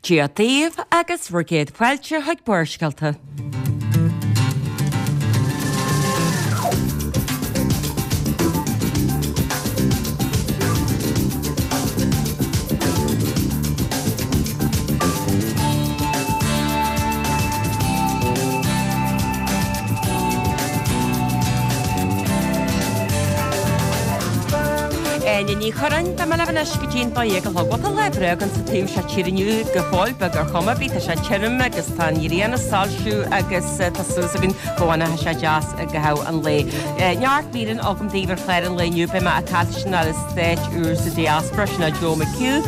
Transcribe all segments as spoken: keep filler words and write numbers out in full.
Dia daoibh agus bhur gcéad fáilte chuig Barrscéalta. Áine Ní Churráin, Beidh mé libh anois go dtí'n dó dhéag a chlog. Bhuel, tá lá breá againn sa taobh seo tíre inniu go fóill beag ar chuma ar bith. Tá sé tirim agus tá an ghrian ag soilsiú agus tá súil againn go bhfanfaidh sé deas i gcaitheamh an lae. Neart míreanna agam daoibh ar chlár an lae inniu. Beidh mé ag caint leis an Aire Stáit úr sa Diaspora, sin é Joe McHugh,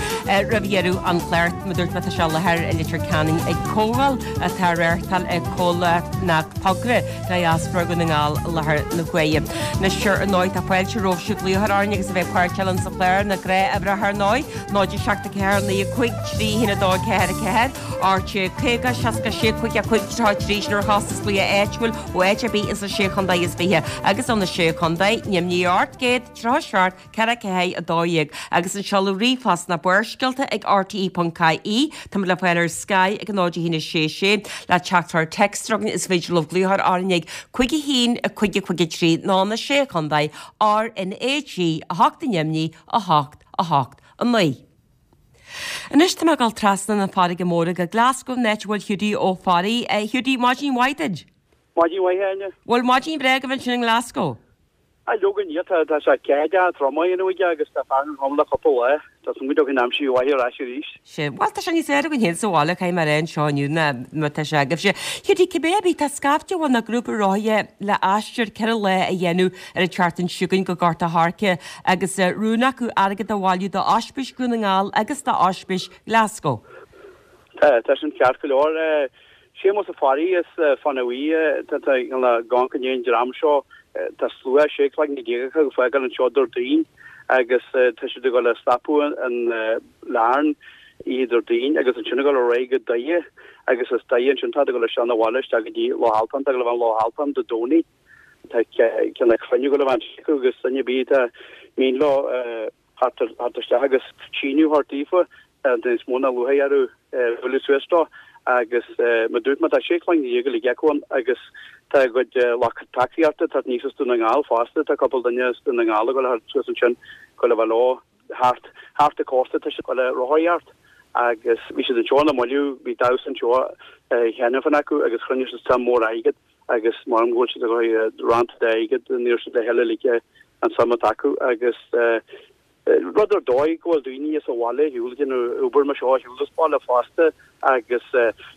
roimh dheireadh an chláir. Mar a dúirt mé, tá sé i láthair i Leitir Ceanainn ag comhdháil atá á reáchtáil ag comhlacht nó togra Diaspora Dhún na nGall i láthair na huaire. Anois ar ndóigh tá fáilte romhaibhse glaoch orainn agus a bheith páirteach linn sa chlár na gnáth-uimhreacha ar ndóigh, náid a seacht a ceathair naoi a cúig trí haon a dó ceathair a ceathair, rté caoga seasca sé cúig a cúig tríocha a trí sin ar chostas glaoch áitiúil ó áit ar bith ins na sé chontae is fiche agus ó na sé chontae, Nimhní ocht gcéad tríocha seacht ceathair ceathair a dó dhéag agus an seoladh ríomhphost ná barrscéalta ag rte ponc ie. Táimid le fáil ar Sky ag a náid a haon a sé sé le teachtaireacht téacs chugainn is féidir libh glaoch orainn ag cúig a haon a cúig a cúig a trí nó na sé chontae R N A G a hocht i nDoimní a hocht a hocht a naoi. Anois tá mé ag dul trasna na farraige móire go Glasgow an áit a bhfuil Hiúdaí Ó Fearraigh. Hiúdaí, maidin mhaith duit. Maidin mhaith, Áine. Bhfuil maidin bhreá agaibh ansin i nGlasgow? Á, leoga níl, tá tá sé cead trom a dhéanamh aige agus tá fearthainn throm le cúpla lá. Tá súil go dtiocfaidh an aimsir mhaith ar ais arís. Sea, bhuel tá sé níos fearr againn féin sa bhaile, caithfidh mé a rá anseo inniu ná mar tá sé agaibhse. Hiúdaí, cibé ar bith, tá scaifte bhuel nó grúpa rothaithe le aistear ceithre lá a dhéanamh ar an tseachtain seo chugainn go Gort a' Choirce agus rún acu airgead a bhailiú d'Ospís Dhún na nGall agus d'Ospís Glasgow. Tá, tá sin ceart go leor. Séamus Ó Fearraigh as Fanaí, tá tá gan go ndéan dream seo, tá slua sé cloigne déag acu ag fágáil anseo Déardaoin agus tá siad ag dul a stopadh in Larne oíche Déardaoin agus ansin ag dul ar aghaidh go Doire agus as Doire ansin tá ag dul isteach 'na bhaile isteach go dtí Loch Altan, tá ag dul a bheith in Loch Altan Dé Domhnaigh. Tá ceann cruinniú ag dul a bheith acu agus duine ar bith atá mian leo theacht isteach agus síniú a thabhairt daofa, níos mó ná lúcháir orthu bualadh suas dó agus mar dúirt mé tá sé cloigne déag uilig acu ann agus tá a gcuid lucht tacaíochta ag teacht aníos as Dún na nGall fosta, tá cúpla duine as Dún na nGall ag dul a theacht suas ansin ag dul a bheith leo thart thart an cósta tá siad ag dul a rothaíocht agus bhí siad anseo na moilliú, bhí damhsa anseo cheana féin acu agus chruinnigh siad suim mór airgid agus mar go bhfuil siad ag dul roinnt d'airgead níor siad le cheile uilig an suim atá acu agus rud ar dóigh go bhfuil daoine as an bhaile ar shiúl ag déanamh obair mar seo ar shiúl as baile fosta agus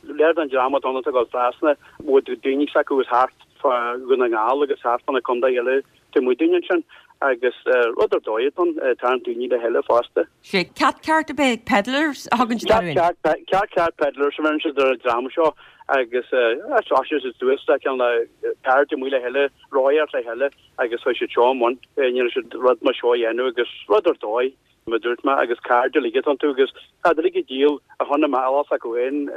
léir don dream atá ann atá ag dul trasna bhfuil daoine s'acu is thart fá Dhún na nGall agus thart fá na contaetha eile taobh amuigh dúinn ansin agus rud ar dóigh atá ann tarraingt daoine le chéile fosta. Sé Cathcart ab ea Pedlars a thugann siad orthu. Ceart ceart Cathcart Pedlars a bheireann siad ar an dream seo agus thosaigh siad suas le cineál cairde amuigh le chéile, rothaíocht le chéile agus chuaigh siad seo i mbun, rinne siad rud mar seo a dhéanamh agus rud ar dóigh, mar a dúirt mé, agus cairde uilig atá iontu agus tá uilig ag díol a shon a mbealach s'acu féin,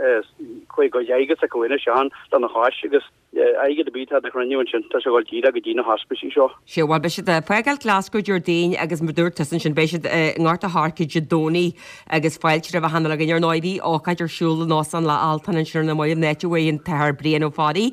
chuaigh a gcuid airgead s'acu féin isteach lena chois agus airgead ar bith atá á chruinniú ansin, tá sé ag dul díreach go dtí na hospicí seo. Sea, bhuel, beidh siad ag fágáil Glasgow Déardaoin agus mar dúirt tusa ansin, beidh siad i nGort a' Choirce Dé Domhnaigh agus fáilte roimh achan uile dhuine. Ar ndóigh, bhí ócáid ar siúl in Óstán Loch Altan ansin ar na mallaibh, an áit a bhfuair an tAthair Brian Ó Fearraigh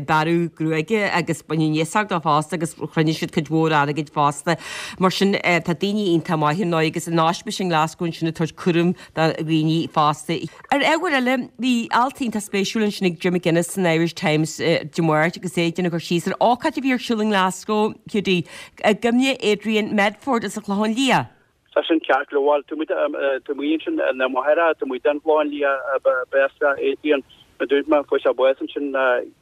bearradh gruaige agus baineadh neasóg dó fosta agus chruinnigh siad cuid mhór airgid fosta. Mar sin, tá daoine iontach maith ar ndóigh agus in ospís i nGlasgow ansin ag tabhairt cúram do dhaoine fosta. Ar ábhar eile, bhí alt iontach spéisiúil ansin ag Jim McGuinness san Irish Times Dé Máirt agus é ag déanamh cur síos ar ócáid a bhí ar siúl i nGlasgow, Hiúdaí, i gcuimhne Adrian Medford as an Chlochán Liath. Tá sin ceart go leor. Tá muid tá muid ansin na máthair tá muid den Chlochán Liath b'as Adrian mar dúirt mé fuair sé bás ansin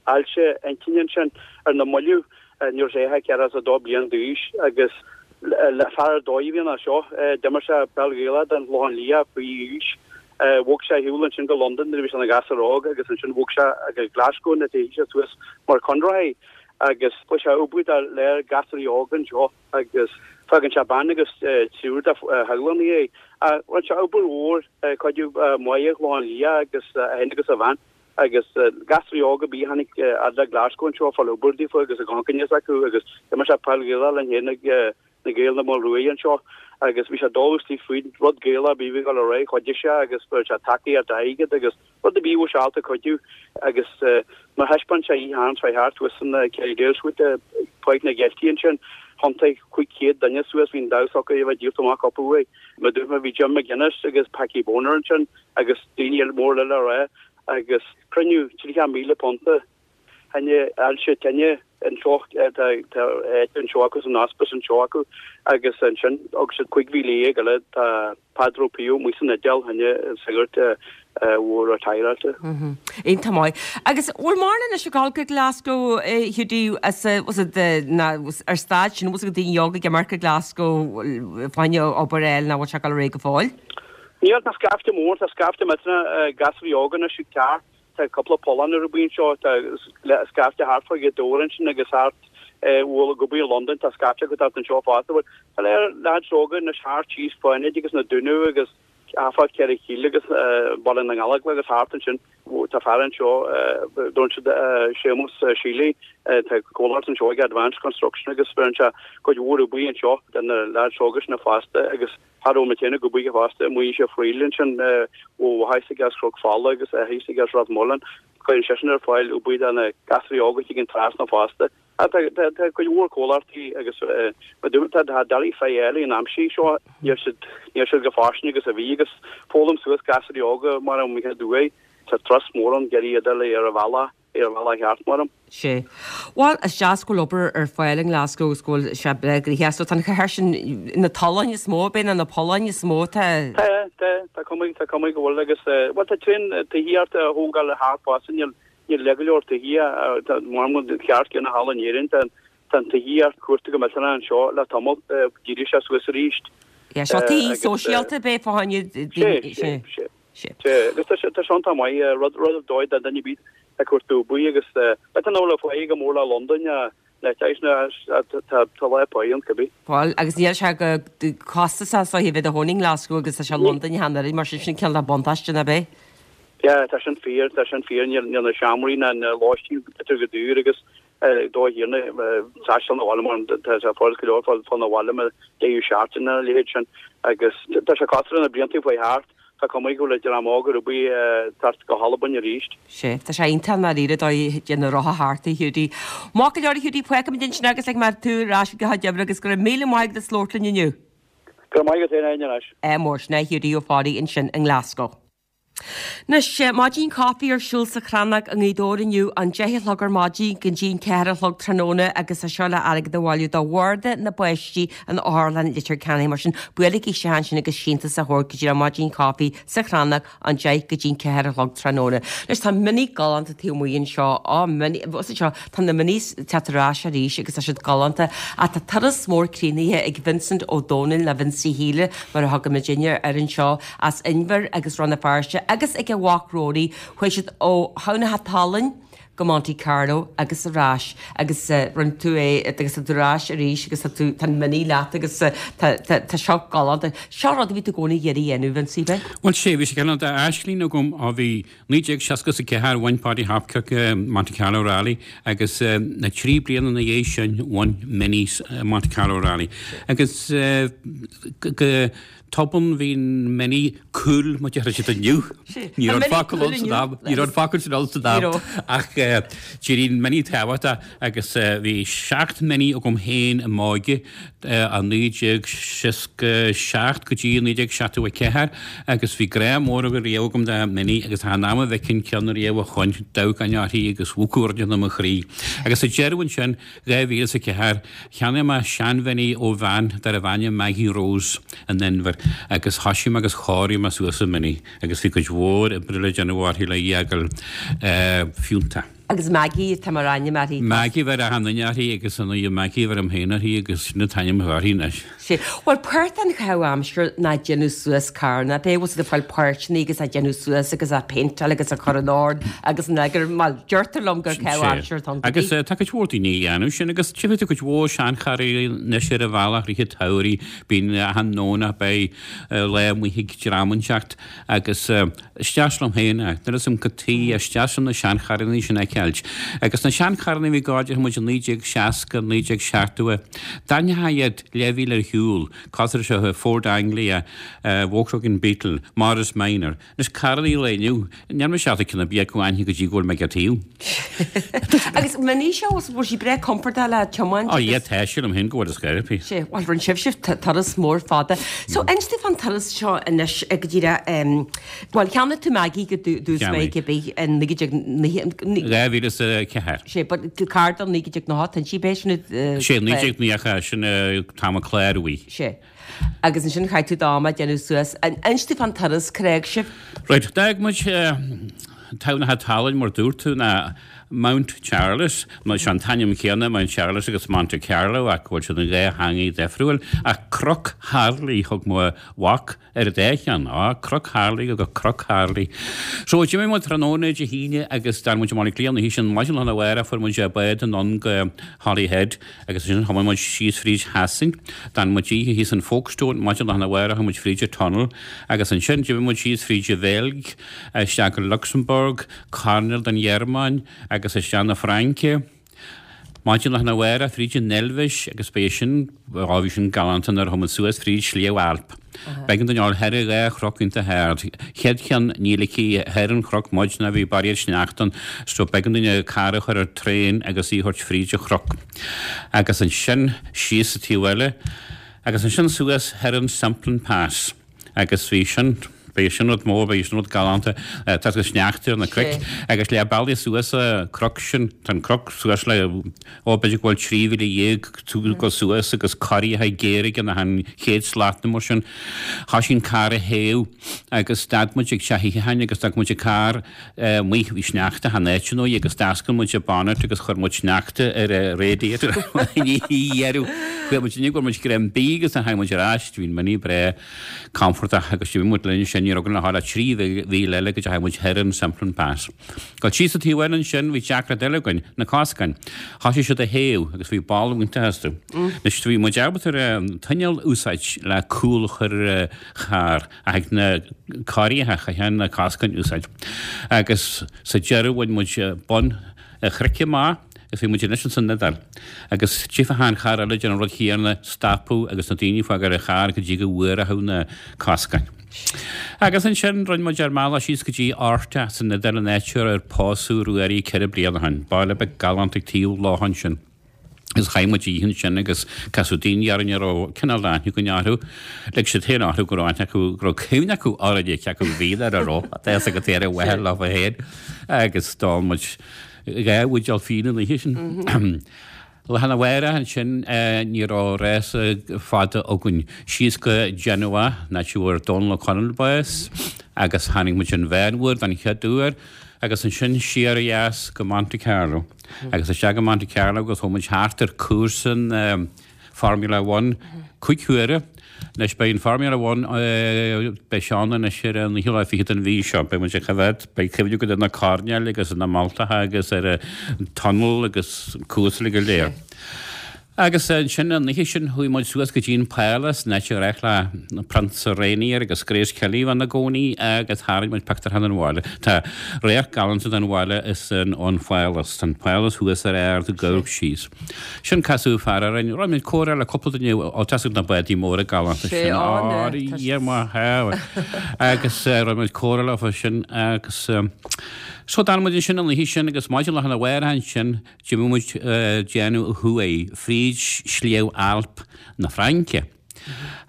ailse intinne ansin ar na mallaibh nuair a bhí sé ceathracha is a dó bliain d'aois agus le fear ar dóigh a bhí ann seo d'imir sé peil Ghaelach don Chlochán Liath faoi aois. Bhog sé ar shiúl ansin go Londain nuair a bhí sé ina ghasúr óg agus ansin bhog sé go Glasgow nuair a théigh sé suas mar conraitheoir agus fuair sé obair do léir gasúraí óga anseo agus fágann sé bean agus triúr de theaghlach ina dhiaidh. Rinne sé obair mhór cuidiú maith an Chlochán Liath agus é féin agus a bhean agus gasúraí óga a bhí tháinig fhad le Glasgow anseo ag fáil obair daofa agus a gconcainneas acu agus d'imir sé peil Ghaelach linn féin ag na Gaeil na Maolruaidh anseo agus bhí sé dul istigh faoin rud Gaelach a bhí ag dul ar aghaidh, chuidigh sé agus fuair sé tacaíocht airgid agus rud ar bith a bhí sé ábalta cuidiú agus mar thaispeáin sé oíche Shathairn seo thart thuas san Kerrydale Suite i Páirc na gCeiltigh ansin, thiontaigh cúig chéad duine suas, bhí an damhsa acu a bheith díolta amach cúpla uair. Mar dúirt mé bhí Jim McGuinness agus Packie Bonner ansin agus daoine eile mór le rá agus cruinniú tríocha míle punta Tháinig ailse tine anseo, tá áit anseo acu san hospice anseo acu agus ansin thug siad cúig mhíle dhéag eile tá Peadar Ó Pío amuigh san Iodáil, tháinig sagart mhór ar taighdeáilte. Iontach maith. Agus bhfuil mórán anois ag dul go Glasgow Hiúdaí as was it the na ar staid sin was it daoine óga ag imirce go Glasgow fá choinne obair a fháil nó bhfuil sé ag dul ar aghaidh go fóill? Níl, tá scaifte mór, tá scaifte millteanach gasúraí óga anois ag teacht. Tá cúpla pollán ar bith anseo, tá scaifte thart fá Ghaoth Dobhair ansin agus thart bhuel ag obair i Londain, tá scaifte acu thart anseo fosta. Bhuel, tá léir leaids óga anois thart síos Fánaid agus na Dúnaibh agus fá Ceithre Cille agus Baile na nGallóglach agus thart ansin. Tá fear anseo, dúirt siad Séamus Sealy, tá comhlacht anseo ag Advanced Construction agus bheireann sé cuid mhór obair anseo do na leaids óga sin fosta agus Thar am céanna go buíoch fosta amuigh sa Friel ansin ó mhaith as Cnoc Fola agus a thíos as Ráth Moliain. Cuireann seisean ar fáil obair do na gasraí óga a thigeann trasna fosta. Tá tá cuid mhór comhlachtaí agus mar dúirt tá tá deirí fé eile in aimsir seo níl siad níl siad chomh fairsing agus a bhí agus foghlaim suas gasraí óga mar an mbeidh uaidh. Tá turas mór ann d'iarraidh iad a ar a bhealach. ar an bhealach cheart, maram. Sea. Bhuel, is deas go bhfuil obair ar fáil i nGlasgow agus go bhfuil sé breá gnoitheach. So tá an chathair sin, na tolláin is mó, b'é nó na polláin is mó atá. Tá, tá, tá cuma, tá cuma go bhfuil agus, bhuel, tá tréan tithíocht á thógáil thart fosta, níl, níl le go leor tithíocht, tá, maram go ceart céanna thall in Éirinn, tá, tá an tithíocht cuarta go millteanach anseo le tamall, d'éirigh sé suas arís. Yeah, seo tithí sóisialta b'é fá choinne daoine, sea, sea. Sea, agus tá sé tá sé iontach maith, rud rud ar dóigh do dhuine ar bith ag cuartú obair agus b'fhéidir nach bhfuil an pháigh chomh mór le Londain na tá tá lá páí ann cibé. Bhuel, agus níl sé chomh costasach is a bheith i do chónaí i nGlasgow agus tá sé i Londain cheana oiread, mar sin sin cineál de buntáiste nach é? Yeah, tá sin fíor, tá sin fíor, níl níl na seomraí ná na lóistín b'fhéidir chomh daor agus dóigh thiarna taisteal na bhaile mar tá sé furast go leor fáil fáil na bhaile mar deireadh seachtaine a leithéid sin agus tá sé cosúil le na blianta faoi thart. Tá cuma go bhfuil dream óg ar bith ag teacht go hAlbain arís. Sea, tá sé iontach i ndáiríre dóigh de na rotha thart, a Hiúdaí. Maith go leor a Hiúdaí, fágfaimid ansin agus ag mar tú ar ais go do chuid oibre agus go raibh míle maith agat as labhairt linn inniu. Go raibh maith agat féin a Áine anois. Ádh mór, sin é Hiúdaí Ó Fearraigh ansin i nGlasgow. Anois, maidin caife ar siúl sa Chrannóg i nGaoth Dobhair inniu, ón deich a chlog ar maidin go dtí an ceathair a chlog tráthnóna agus é seo le airgead a bhailiú do Bhord na bPáistí in Otharlann Leitir Ceanainn. Mar sin, buailigí isteach ansin agus síntiús a thabhairt go dtí an maidin caife sa Chrannóg ón deich go dtí an ceathair a chlog tráthnóna. Anois, tá Mini galánta taobh amuigh anseo, á, Mini, bhfuil seo, tá na Minis ag teacht ar ais arís agus tá siad galánta ach tá turas mór críochnaithe ag Vincent Ó Dónaill, nó Vincie Shíle mar a thugaimidinne air anseo, as Inbhir agus Rann na Feirste agus ag a mhac Rory, chuaigh siad ó Thamhnach an tSalainn go Monte Carlo agus ar ais agus rinne tú é agus tá tú ar ais arís agus tá tú, tá an Mini leat agus tá, tá, tá seo galánta. Seo rud a bhí tú i gcónaí ag iarraidh a dhéanamh, Vincie, ab ea? Bhuel, sea, bhí sé cineál d'aisling agam ó bhí naoi déag seasca is a ceathair, bhain Paddy Hopkirk Monte Carlo Rally agus na trí bliana ina dhiaidh sin bhain Mini Monte Carlo Rally. Agus go tobann bhí an Mini cool mar a deir siad inniu. Ní raibh an focal ann san am, ní raibh an focal sin ann san am ach d'éirigh an Mini tábhachtach agus bhí seacht Mini agam féin i m'óige ó naoi déag seasca seacht go dtí naoi déag seachtó a ceathair agus bhí grá mór riamh agam do Mini agus achan am a bhfeicfinn ceann riamh a choin dabhcáin uirthi agus mhúchadh rud i mo chroí. Agus sa deireadh ansin, dhá mhíle is a ceathair, cheannaigh mé sean-Mhini ó bhean darbh ainm Maggie Rose in Inbhir agus thoisigh mé agus chóirigh mé suas an Mini agus bhí cuid mhór oibre le déanamh uirthi le í a fhágáil fiúntach. Agus Maggie atá mar ainm uirthi. Maggie a bheir achan duine uirthi agus ar ndóigh Maggie a bheirim féin uirthi agus sin an t-ainm atá uirthi anois. Sea. Bhuel, páirt den chaitheamh aimsire ná déanamh suas carr, nach ea? Bhfuil siad ag fáil páirteanna agus á déanamh suas agus á péinteáil agus á cur in ord agus in eagar, bhuel, deirtear liom gur caitheamh aimsire atá ann. Agus tá cuid mhór daoine a dhéanamh sin agus tchífidh tú cuid mhór seancharranna anois ar an bhealach rith an tsamhraidh, bíonn achan nDomhnach beidh lá amuigh ag dream inteacht agus is deas liom féin é, nuair is im cad tuighe, is deas liom na seancharranna sin a fheiceáil. fheiceáilt. Agus na seancharranna a bhí ag gabháil muid i naoi déag seasca, naoi déag seachtó, d'aithneofá iad leathmhíle ar shiúl, cosúil leis an Ford Anglia, Volkswagen Beetle, Morris Minor. Anois carranna an lae inniu, níl mise ábalta ceann ar bith acu a aithne go dtí go bhfuil mé ag a taobh. Agus Mini seo, bhfuil sí breá compordach le tiomáint Ó yeah, tá, sílim féin go bhfuil is gaire. Sé, bhuel, rinne sibhse turas mór fada. So, inis domh fán turas seo anois go díreach, bhuel, cheannaigh tú Maggie go dtús Cheannaigh. bheidh bith in naoi déag Dhá mhíle is a ceathair. Sé, but carr do naoi déag nócha, tá sí b'é sin Sé, naoi déag nócha, sin t-am a cláraíodh í. Sé. Agus ansin chaith tú d'am ag déanamh suas. Inis domh fán turas, cár fhág sibh? Right, d'fhág muid tamhnach talainn mar dúirt tú ná Mount Charles, nó sé an t-ainm céanna Mount Charles agus Monte Carlo ach go bhfuil siad in dhá theangaidh difriúil, ach Cnoc Tharlaigh thug mo mhac ar an dá cheann, á, Cnoc Tharlaigh agus Cnoc Tharlaigh. So d'imigh muid tráthnóna Dé hAoine agus d'fhan muid i mBaile Átha Cliath an oíche sin, maidin lá arna mhárach fuair muid bád anonn go Holyhead agus ansin thiomáin muid síos fríd Shasain, d'fhan muid oíche thíos in Folkestone, maidin lá arna mhárach chuaigh muid fríd an tunnel agus ansin d'imigh muid síos fríd an Bheilg, isteach go Luxembourg, coirnéal den Ghearmáin agus isteach na Fraince. Maidin lá arna mhárach fríd an Eilvéis agus b'é sin, á bhí sin galánta nuair a chuaigh muid suas fríd Sliabh Alp. B'éigean dúinn a ghabháil thar dhá chnoc iontach ard. Chéad cheann ní ligfí thar an chnoc muid ná bhí barraíocht sneachta ann so b'éigean dúinn an carr a chur ar traein agus í a thabhairt fríd an chnoc. Agus ansin síos sa taobh eile agus ansin suas thar an Simplon Pass. Agus bhí sin, b'é sin rud mór, b'é sin rud galánta, tá go sneachta ar na cnoic agus leath bealaigh suas an cnoc sin, tá an cnoc suas le, ó b'fhéidir go bhfuil trí mhíle dhéag tú go suas agus corraithe géara ag an chéad slat nó mar sin. Thoisigh an carr a théamh agus stad muid ag teach itheacháin agus d'fhág muid an carr amuigh, bhí sneachta chan áit ndóigh agus d'oscail muid an bonnet agus chuir muid sneachta ar an radiator i ndeireadh. Chuaigh muid inniu go raibh muid greim bídh agus tháinig muid ar ais, bhí an Mini breá compordach agus d'imigh muid linn sin, ní raibh againn le dhul ach trí mhíle eile go dteachaigh muid thoir an Simplon Pass. Dul síos an taobh eile ansin, bhí deacracht eile againn, na coscáin. Thoisigh siad a théamh agus bhí boladh iontach astu. Anois bhí muid ábalta ar an tuinéal a úsáid le cúl a chur ar an charr ach ag na corraithe chaithfeá na coscáin a úsáid. Agus sa deireadh bhain muid bun an chnoic amach agus bhí muid anois ins an Iodáil. Agus tchífeá achan charr eile ag déanamh an rud chéanna, stopadh agus na daoine ag fágáil an charr go dtí go bhfuaródh na coscáin. Agus ansin rinne muid ár mbealach síos go dtí Orta san Iodáil an áit ar pósadh Ruairí ceithre bliana ó shin. Baile beag galánta ag taobh locha ansin. Agus chaith muid oíche ansin agus casadh daoine orainn a raibh cineál aithne againn orthu. Lig siad féin orthu go raibh aithne acu, go raibh cuimhne acu orainne, cé acu bhíodar a raibh, tá fhios agat ar mhaithe leo féin. Agus d'ól muid dhá bhuidéal fíona an oíche sin. Lá arna mhárach ansin ní raibh rása fada againn. Síos go Genoa, an áit a bhfuair Dónal Ó Conaill bás, agus tháinig muid an Mheánmhuir don chéad uair, agus ansin siar ó dheas go Monte Carlo. Agus isteach go Monte Carlo agus chuaigh muid thart ar cúrsa an Formula One cúig huaire. Anois beidh an Formula One, beidh sé ann anois ar an naoú lá fichead den mhí seo. Beidh muid ag coimhéad, beidh cuimhne agat ar na coirnéil agus ar na malltacha agus ar an tunnel agus an cúrsa uilig go léir. Agus ansin an oíche sin chuaigh muid suas go dtí an Pálás, an áit a ghnách le Prionsa Rainier agus Grace Kelly bheith ina gcónaí agus tharraing muid pictiúr den bhaile. Tá radharc galánta den bhaile is ón Phálás. Tá an Pálás thuas ar ard ag amharc síos. Sin casadh fear orainn. Rinne muid comhrá le cúpla duine ó tá a fhios agat na bádaí móra galánta sin. Á, Dhia mo shábháil. Agus rinne muid comhrá leofa sin agus so d'fhan muid ansin an oíche sin agus maidin lá arna mhárach ansin D'imigh muid déanamh ó thuaidh fríd Shliabh Alp na Fraince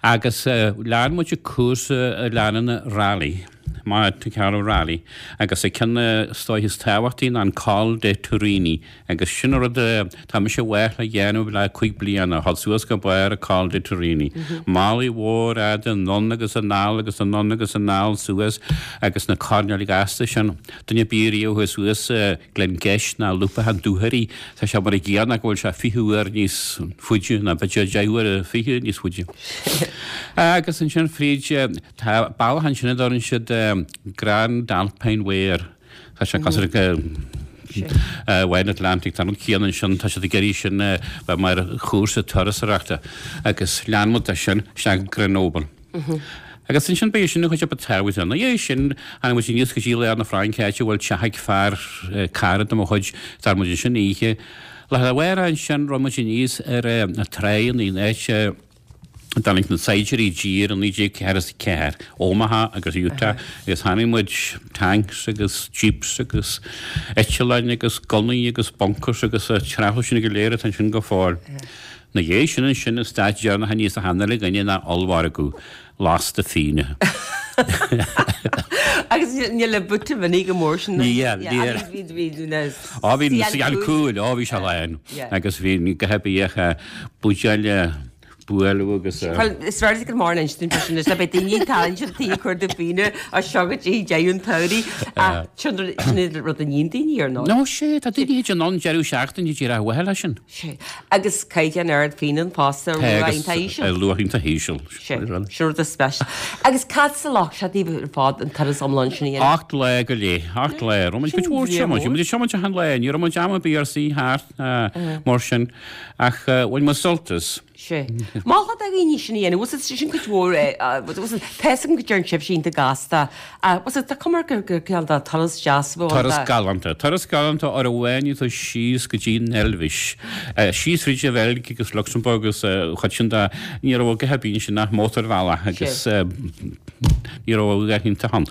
agus lean muid an cúrsa a leanann an Rally, Monte Carlo Rally, agus an ceann is dóiche is tábhachtaí ná an Col de Turini agus sin an rud atá mise i bhfách le dhéanamh le cúig bliana, a dhul suas go barr an Col de Turini. Malaidh mhór fhada anonn agus anall agus anonn agus anall suas agus na coirnéil ghasta sin. Duine ar bith riamh a chuaigh suas Glengesh ná Lúpacha an Dúchoraidh, tá sé mar an gcéanna ach go bhfuil sé fiche uair níos faide, nó b'fhéidir deich uaire fiche níos faide. Agus ansin fríd, tá bealach ansin a dtabharann siad Grand Alpine Way air. Tá sé cosúil le Wild Atlantic, tá an rud céanna ansin, tá siad ag iarraidh sin a bheith mar chúrsa turasóireachta. Agus lean muid de sin isteach go Grenoble. Agus ansin b'é sin an chuid a ba tábhachtaí. Ina dhiaidh sin, tháinig muid aníos go dtí lár na Fraince, áit a bhfuil teach ag fear, cara de mo chuid, d'fhan muid ansin oíche. Lá arna mhárach ansin, rith muid aníos ar na tráigheanna in áit a dtáinig na saighdiúirí i dtír i naoi déag ceathair is a ceathair, Omaha agus Utah, agus chonaic muid tanks agus jeeps agus eitleáin agus gunnaí agus bunkers agus an trealamh sin go léir atá ansin go fóill. 'Na dhiaidh sin ansin an stad deireanach aníos achan uile dhuine ná ollmhargadh lasta fíona. Agus níl an buta Mini go mór sin. Níl, níl. Á bhí na suíocháin cúil, á bhí sé lán. Agus bhí gach ar bith buidéil bualadh agus. Bhuel, is fearr go mór an instin sin is beidh daoine talent an tí ag cur de fíona as seo go dtí deireadh an tsamhraidh ach sin rud a níonn daoine ar ndóigh. No, sé, tá daoine in ann deireadh seachtaine díreach a mhaitheadh leis sin. Sé. Agus caighdeán ard fíona fosta ar luach iontach íseal. Ar luach iontach íseal. Sé. Sin rud is special. Agus cad sa loch sé daoibh ar fad an turas iomlán sin a dhéanamh? Ocht lá go leith. Ocht lá. Raibh muid cuid mhór tiomáint. Bhí muid ag tiomáint achan lá. Ní raibh muid am ar bith ár suí thart mar sin. Ach bhain muid sult as. Sé. Mholfá do dhaoine sin a dhéanamh. Bhfuil sin sin cuid mhór é. Bhfuil tá fhios agam go deireann sibhse iontach gasta. Ach bhfuil tá cuma gur gur cineál de turas deas a bheadh ann. Turas galánta. Turas galánta uair amháin tú síos go dtí an Eilvéis. Síos fríd an Bheilg agus Lucsamburg agus an chuid sin de. Ní raibh a dhath ar bith ansin ach mótarbhealach agus ní raibh a dhath iontach ann.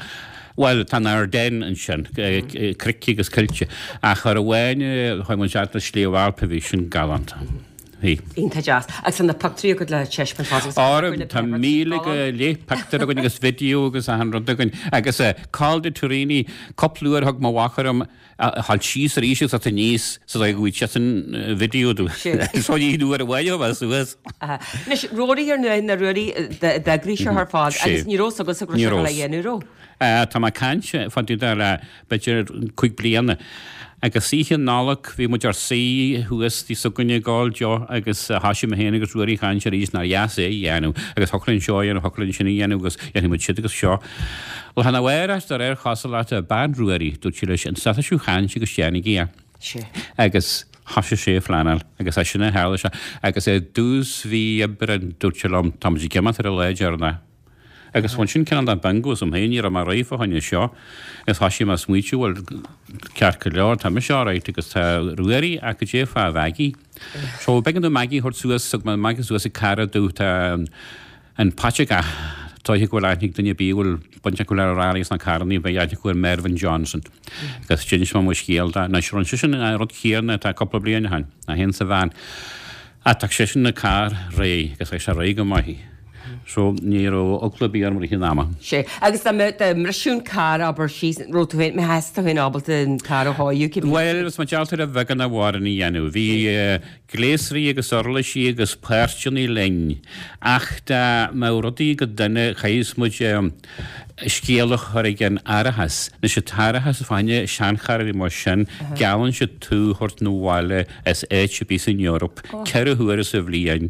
Bhuel, tá na Ardennes ansin, cnoic agus coillte. Ach uair amháin chuaigh muid isteach na Sliabh Alp a bhí sin galánta. Bhí. Iontach deas. Agus tá na pictiúirí agat le taispeáint fosta agus Ára, tá míle go leith pictiúr againn agus video agus achan rud againn. Agus Col de Turini, cúpla uair thug mo mhac orm a ghabháil síos arís agus aníos sa dóigh go bhfaighidh seisean video domh. So ní uair amháin a bheith suas. Anois, Ruairí ar ndóigh, na Ruairí d'eagraigh seo ar fad agus ní raibh fhios agatsa go raibh sé le dhéanamh, raibh? Tá mé ag caint fá dtaobh de le b'fhéidir cúig bliana. Agus oíche Nollag bhí muid ár suí thuas tigh s'againne ag ól deoch agus thoisigh mé féin agus Ruairí ag caint arís nár dheas é a dhéanamh agus thiocfadh linn seo a dhéanamh, thiocfadh linn sin a dhéanamh agus dhéanfaidh muid siúd agus seo. Lá arna mhárach de réir chosúlachta, bean Ruairí, dúirt sí leis, an stadfaidh sibh chaint agus déanaigí é. Agus thoisigh sé ag phleanáil agus as sin a tharla sé. Agus i dtús mhí Aibreáin dúirt sé liom, tá muid ag imeacht ar an lá deireanach. Agus bhain sin cineál de bingo asam féin, ní raibh mé réidh fá choinne seo. Agus thoisigh mé ag smaointiú, bhuel, ceart go leor, tá mise alright agus tá Ruairí ach goidé fá Mhaggie. So b'éigean dom Maggie a thabhairt suas, thug mé Maggie suas ag cara domh, tá an Patrick ah, dóiche go bhfuil aithne ag duine ar bith a bhfuil baint acu le rally is na carrannaí, beidh aithne acu ar Mervyn Johnson. Agus d'inis mé mo scéal dó. Anois, rinne seisean an rud céanna atá cúpla bliain ó shin, é féin sa veain. Ach tá seisean an carr réidh agus tá sé réidh go maith. So ní raibh eagla ar bith orm i rith an ama. Sé. Agus dá mbeadh, dá mbrisfeadh an carr, abair, síos, raibh tú féin, mbeadh tú féin ábalta an carr a chóiriú, cibé. Bhuel, is mar gheall ar a bheagán a mhaireann a dhéanamh. Bhí gléasraí agus uirlisí agus páirteanna linn ach dá mbeadh rudaí go dona chaithfeadh muid scéal a chur ag an árachas. Anois an t-árachas fá choinne seancharranna mar sin, geallann siad tú a thabhairt 'na bhaile as áit ar bith san Eoraip ceithre huaire sa bhliain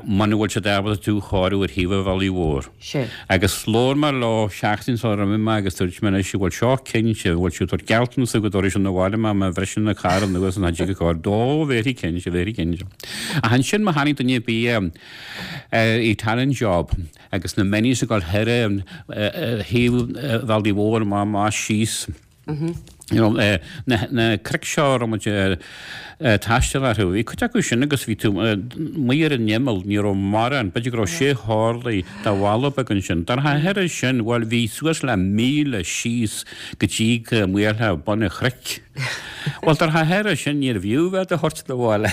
muna bhfuil siad ábalta tú a chóiriú ar thaobh an bhealaigh mhóir. Agus labhair mé leo seachtain sular imigh mé agus dúirt mé anois an bhfuil seo cinnte, an bhfuil siad ag tabhairt gealltanas go dtabharfaidh siad 'na bhaile mé má bhriseann an carr anuas an dtig a chóir. Ó, very cinnte, very cinnte. Ach ansin má tháinig duine ar bith ar Italian job, Agus na Minis ag dul thoir ar thaobh an bhealaigh mhóir amach amach síos. You know, na na cnoic seo a raibh muid ag taisteal orthu, bhí cuid acu sin agus bhí tú amuigh ar an imeall, ní raibh mórán, b'fhéidir go raibh sé horlaí de bhalla beag ansin. Dar thoir sin, bhuel, bhí suas le míle síos go dtí go mbuailfeá bun an chnoic. Bhuel, dar thoir sin, níorbh fhiú bheith do thabhairt 'na bhaile.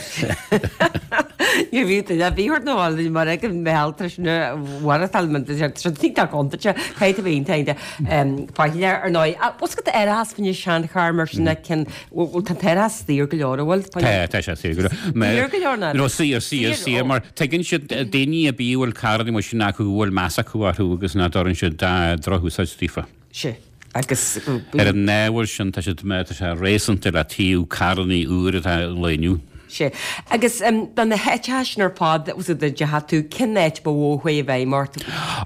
Níorbh fhiú duine ar bith a thabhairt 'na bhaile mar ag an mbealach tar éis na mharachtáil mar tá sé iontach contúirteach, caithfidh tú bheith iontach faichilleach ar ndóigh. Ach bhfuil fhios agat árachas fá choinne seancharr mar sin a cionn, bhfuil tá an t-árachas saor go leor, an bhfuil? Tá, tá sé saor go leor. Saor go leor ná? No, saor, saor, saor mar tuigeann siad daoine ar bith a bhfuil carranna mar sin acu go bhfuil meas acu orthu agus nach dtabharann siad drochúsáid daofa. Sea. Agus. Ar an ábhar sin, tá siad, tá sé réasúnta le taobh carrannaí úr atá an lae inniu. Sea. Agus do na háiteacha sin ar fad a ndeachaigh tú, cén áit ba mhó a chuaigh i bhfeidhm ort?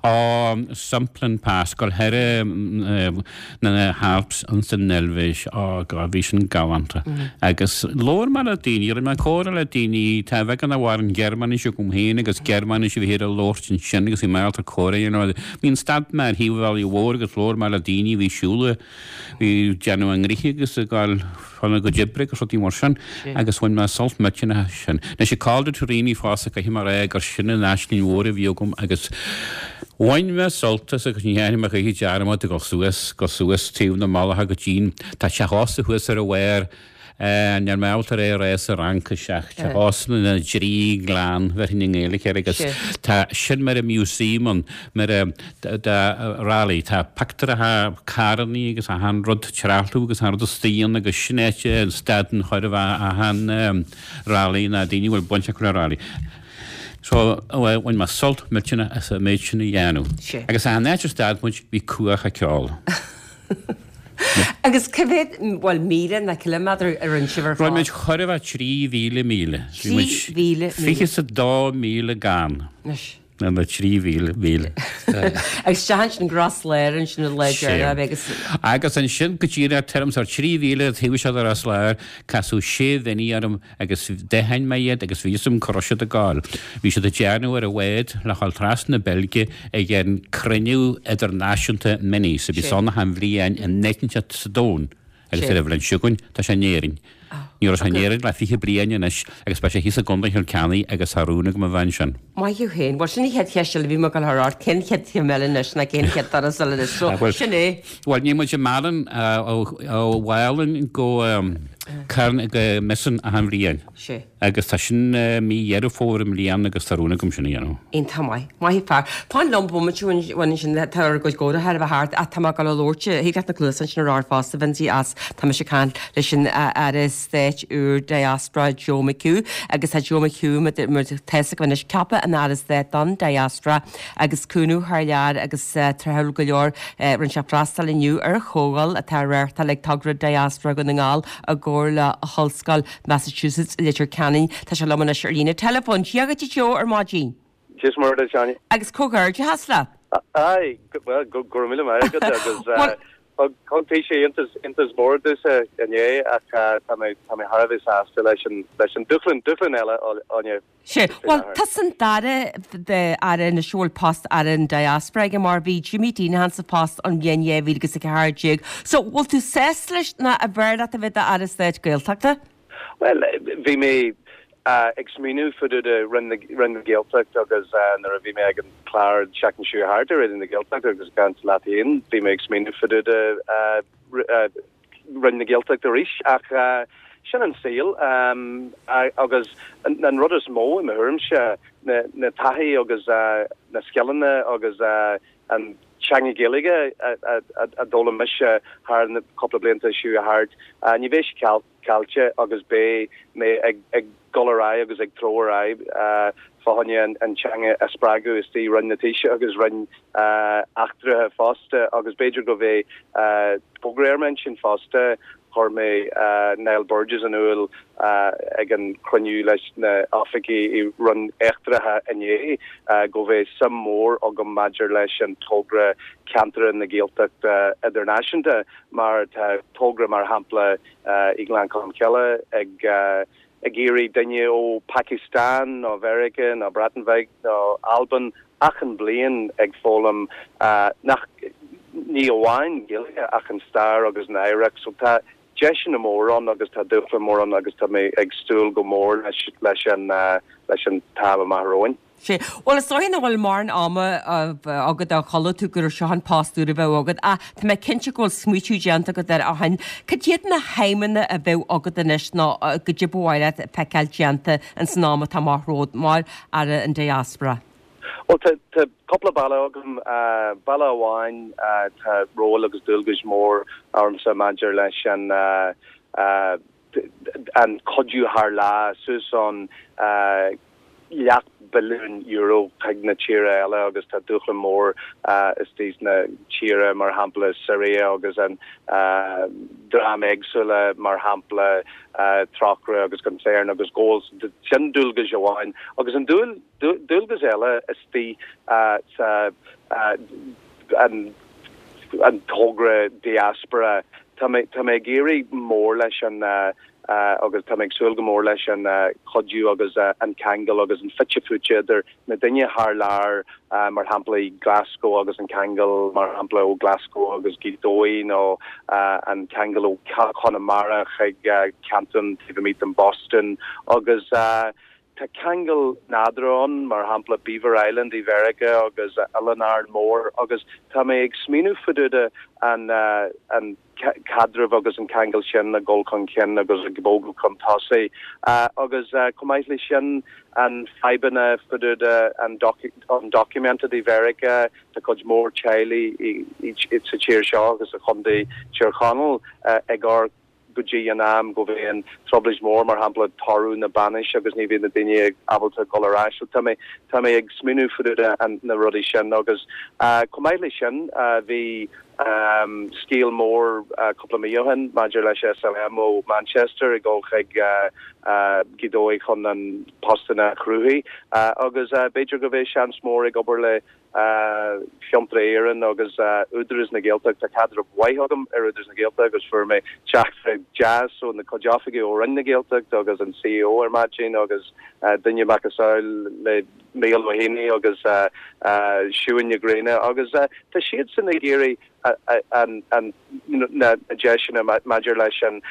Ó, Simplon Pass, dul thar na hAlps ins an Eilvéis, oh God, bhí sin galánta. Agus labhair mé le daoine, rinne mé comhrá le daoine, tá beagán amhrán Gearmáinis agam féin agus Gearmáinis a bhí ar a labhairt ansin agus bhí mé ábalta comhrá a dhéanamh. Bhí an stad mé ar thaobh an bhealaigh mhóir agus labhair mé le daoine a bhí ag siúl, bhí ag déanamh a ngnoithe agus ag gabháil chun a gcuid oibre agus rudaí mar sin agus bhain mé sult millteanach as sin. Anois ag Col de Turini fosta caithfidh mé a rá gur sin an aisling mhór a bhí agam agus bhain mé sult as agus ní dhéanfaidh mé choíche dearmad ag dul suas, dul suas taobh na mullach go dtí'n, tá teach ósta thuas ar a bharr, Níl mé ábalta é a rá sa Fhraincis ach teach ósta na dTrí Ghleann, bhéarfainn i nGaeilge air agus tá sin mar a museum ann, mar a rally, tá pictiúracha carrannaí agus achan rud, trealamh agus achan rud istigh ann agus sin áit a stadann chóir a bheith achan rally ná daoine a bhfuil baint acu le rally. So bhain mé sult millteanach as an méid sin a dhéanamh. Agus achan áit a stad muid bhí cuach ag ceol. Agus cá mhéad, bhuel, míle ná ciliméadar a rinne sibh ar fad? Rinne muid chóir a bheith trí mhíle míle. Trí mhíle míle. Fiche is a dó míle gan. Anois. Ná na trí mhíle míle. Agus isteach ansin go Ros Láir ansin an lá deireanach agus. Agus ansin go díreach tuairim is ar trí mhíle taobh istigh de Ros Láir casadh sé Mhini orm agus d'aithin mé iad agus bhí fhios agam cá raibh siad ag gabháil. Bhí siad ag déanamh ar an bhád le dhul trasna na Beilge ag an cruinniú idirnáisiúnta Minis a bhíos ann achan bhliain in áit inteacht sa domhan agus ar an bhliain seo chugainn tá sé in Éirinn. Ní raibh sé in Éirinn le fiche bliain anois agus beidh sé thíos i gContae Chill Ceannaigh agus tá rún agam a bheith ansin. Maith thú féin. Bhuel sin an chéad cheist eile a bhí mé ag dul a chur ort, cén chéad chéim eile anois ná cén chéad turas eile anois. So sin é. Bhuel níl muid i Málainn ó Mhálainn go Carn go Mizen achan bhliain. Sea. Agus tá sin mí Dheireadh Fómhair i mbliana agus tá rún agam sin a dhéanamh. Iontach maith. Maith an fear. Fan liom bomaite amháin ansin, tá ár gcuid comhrá thar a bheith thart ach tá mé ag dul a labhairt, thig leat na cluasáin sin a chur ort fosta, Vincie, as tá mise ag caint leis an Aire Stáit úr Diaspora Joe McHugh agus tá Joe McHugh mar tá fhios agaibh anois ceaptha ina Aire Stáit don Diaspora agus cúnamh thar lear agus tráthúil go leor rinne sé freastal inniu ar chomhdháil atá á reáchtáil ag Togra Diaspora Dhún na nGall i gcomhar le hOllscoil Massachusetts i Leitir Ceanainn. Tá sé liom anois ar líne teileafóin. Dia dhuit a Joe ar maidin. Dia is Muire duit, Áine. Agus comhghairdeachas leat. Aye, bhuel, go raibh míle maith agat agus thug thug sé iontas iontas mór domhsa inné ach tá mé tá mé thar a bheith sásta leis an leis an dúshlán dúshlán eile, Áine. Sea. Bhuel, tusa an dara aire anois a bhfuil post Aire an Diaspora aige mar bhí Jimmy Deenihan sa phost ón bhliain dhá mhíle agus a ceathair déag. So, bhfuil tú sásta leis nó arbh fhearr leat a bheith i d'Aire Stáit Gaeltachta? Bhuel, bhí mé ag smaoineamh fá dtaobh de Roinn na Roinn na Gaeltachta agus nuair a bhí mé ag an clár an tseachtain seo thart ar Raidió na Gaeltachta agus ag caint leat féin, bhí mé ag smaoineamh fá dtaobh de Roinn na Gaeltachta arís ach sin an saol agus an rud is mó i mo thuairimse na taithí agus na scileanna agus an teanga Gaeilge a d'fhoghlaim mise thar na cúpla blianta seo thart, ní bheidh sé caillte agus beidh mé ag dul ar aghaidh agus ag treabhadh ar aghaidh fá choinne an teanga a spreagadh istigh i Roinn na Taoiseach agus Roinn Eachtraithe fosta agus b'fhéidir go mbeidh togra ar m'intinn fosta. Chuir mé Niall Burgess in iúl ag an cruinniú leis na oifigigh i Roinn Eachtraithe inné go mbeidh suim mór agam maidir leis an togra Ceantair na Gaeltachta Idirnáisiúnta mar tá togra mar shampla i nGleann Cholm Cille ag ag iarraidh duine ó Pakistan nó Mheiriceá nó Breatain Bheag nó Albain achan bliain ag foghlaim nach ní amháin Gaeilge ach an stair agus an oidhreacht. So tá deiseanna mór ann agus tá dúshlán mór ann agus tá mé ag súil go mór leis leis an leis an t-am amach romhainn. Sea. Bhuel, is dóigh nach bhfuil mórán ama agat ó chuala tú gur seo an post úr a bheadh agat, ach tá mé cinnte go bhfuil smaoitiú déanta agat air ó shin. Cad iad na haidhmeanna a bheadh agat anois nó cad é ba mhaith leat feiceáil déanta ins an am atá amach romhat mar Aire an Diaspora? Bhuel, tá tá cúpla bealach agam. Bealach amháin, tá ról agus dualgais mór ormsa maidir leis an an cuidiú thar lear suas ann. leath billiún euro chuig na tíortha eile agus tá dúshlán mór istigh sna tíortha mar shampla Syria agus an dream éagsúla mar shampla Trócaire agus Concern agus Goals sin dualgas amháin agus an dualgas eile istigh sa an an togra diaspora tá mé tá mé ag iarraidh mór leis an agus tá mé ag súil go mór leis an cuidiú agus an ceangal agus an fite fuaite idir na daoine thar lear mar shampla i Glasgow agus an ceangal mar shampla ó Glasgow agus Gaoth Dobhair nó an ceangal ó Chonamara chuig Canton taobh amuigh den Boston agus tá ceangal nádúrtha ann mar shampla Beaver Island i Mheiriceá agus Oileán Árann Mór agus tá mé ag smaoineamh fá dtaobh an an caidreamh agus an ceangal sin a dhul chun cinn agus ag bogadh chun tosaigh agus chomh maith leis sin an fadhbanna fá dtaobh an undocumented i Mheiriceá tá cuid mór teaghlaigh sa tír seo agus sa chontae Tír Chonaill ag amharc go dtí an am go bhfuil an trioblóid mór mar shampla toradh na bainise agus ní bhíonn na daoine ábalta dul ar ais. So tá mé tá mé ag smaoineamh fá dtaobh na rudaí sin agus chomh maith leis sin bhí um, scéal mór cúpla mí ó shin maidir leis SLM ó Manchester ag dul chuig Gaoth Dobhair chun an postanna a chruthú agus b'fhéidir go bhfuil seans mór ag obair le Fiontar Éireann agus Údarás na Gaeltachta tá caidreamh maith agam ar Údarás na Gaeltachta agus fuair mé teachtaireacht deas ó na cuid oifigigh ó Roinn na Gaeltachta agus an CEO ar maidin agus duine macasamhail le Mícheál Ó hÉanaí agus Siún Ní Ghréine agus tá siad san ag iarraidh na deiseanna maidir leis an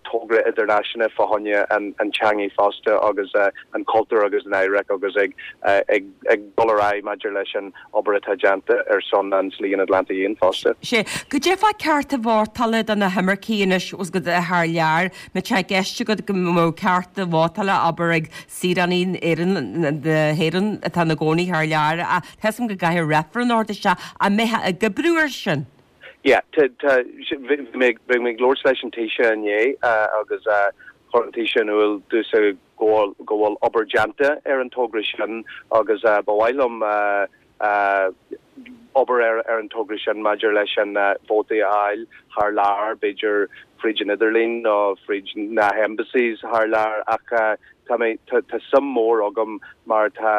togra idirnáisiúnta fá choinne an teanga fosta agus an cultúr agus an oidhreacht agus ag ag dul ar aghaidh maidir leis an obair atá déanta ar son an Slí an Atlantaigh Fhiáin fosta. Sé cad é fá cearta vótála do na himircigh anois os go thar lear, má tá gceist agat go mbeadh cearta vótála abair ag saoránaigh Éireann na hÉireann atá ina gcónaí thar lear a tá go gcaithfidh reifreann ort isteach an mbeidh ag oibriú ar sin. Yeah, bhí mé ag labhairt leis an Taoiseach inné agus chuir an Taoiseach in iúl domhsa go bhfuil obair déanta ar an togra sin agus ba mhaith liom obair ar ar an togra sin maidir leis an vótaí a fháil thar lear b'fhéidir fríd an idirlíon nó fríd na embassies thar lear ach tá mé tá suim mór agam mar tá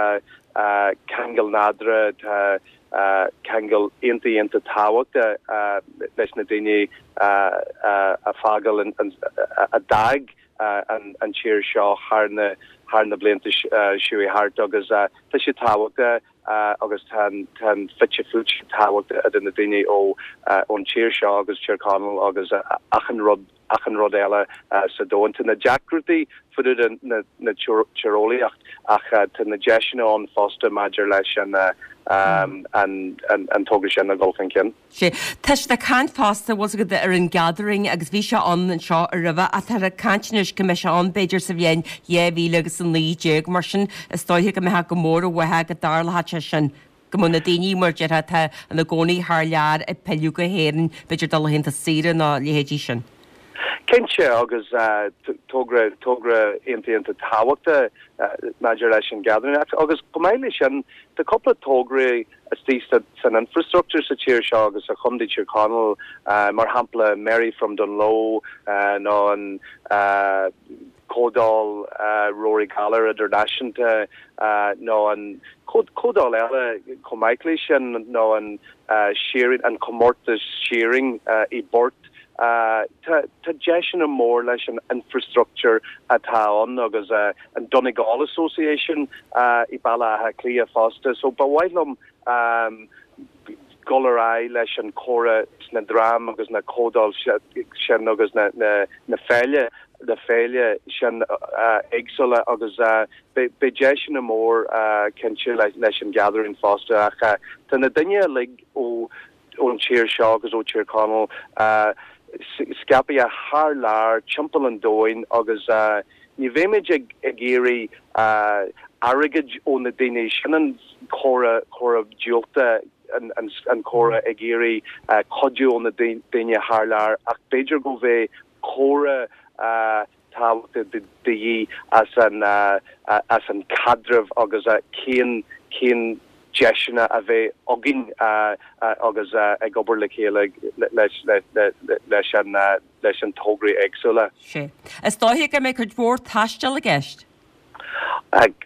ceangal nádúrtha tá ceangal iontach iontach tábhachtach leis na daoine a fágáil a d'fhág an tír seo thar na thar na blianta seo thart agus tá sé tábhachtach agus tá an fite fuaite tábhachtach idir na daoine ó ón tír seo agus Tír Chonaill agus achan rud achan rud eile sa domhan. Tá na deacrachtaí fá dtaobh na na tíreolaíocht ach tá na deiseanna ann fosta maidir leis an an an togra sin a dhul chun cinn. Sé Tá sé caint fosta was go ar an gathering agus bhí sé an anseo a roimhe atá a cainteanna go mbeidh sé ann b'fhéidir sa bhliain dhá mhíle agus a naoi déag mar sin is dóiche go mbeadh go mór uathu go dtarlódh sé sin. go mbeadh na daoine mar deir atá ina gcónaí thar lear ag pilleadh go hÉirinn b'fhéidir dul laethanta saoire nó leithéidí sin. Cinnte agus togra togra iontach iontach tábhachtach maidir leis an gathering agus chomh maith leis sin tá cúpla tograí istigh san infrastructure sa tír seo agus sa chontae Tír Chonaill mar shampla Mary from Dungloe nó an Comhdháil Rory Gallagher idirnáisiúnta nó an comhdháil eile chomh maith leis sin nó an shearing an comórtas shearing i bPort tá deiseanna mór leis an infrastructure atá ann agus an Donegal Association i Baile Átha Cliath fosta, so ba mhaith liom um, dul ar aghaidh leis an chomhrá na dream agus na comhdháil sin agus na, na, na féile na féile sin uh, éagsúla agus uh, beidh deiseanna mór uh, cinnte leis, leis an gathering fosta ach uh, tá na daoine uilig ó ón tír seo agus ó Tír Chonaill uh, scaipthe thar lear timpeall an domhain agus uh, ní bheimid ag ag iarraidh uh, airgead ó na daoine sin an chomhrá chomhrá diúltach an, an, an chomhrá ag iarraidh uh, cuidiú ó na daoine thar lear ach b'fhéidir go bheith chomhrá uh, tábhacht de dhíth as an as an caidreamh agus cén cén deiseanna a bheidh againn agus ag obair le chéile leis leis an leis an tograí éagsúla. Sé. Is dóiche go mbeidh cuid mhór taistil i gceist?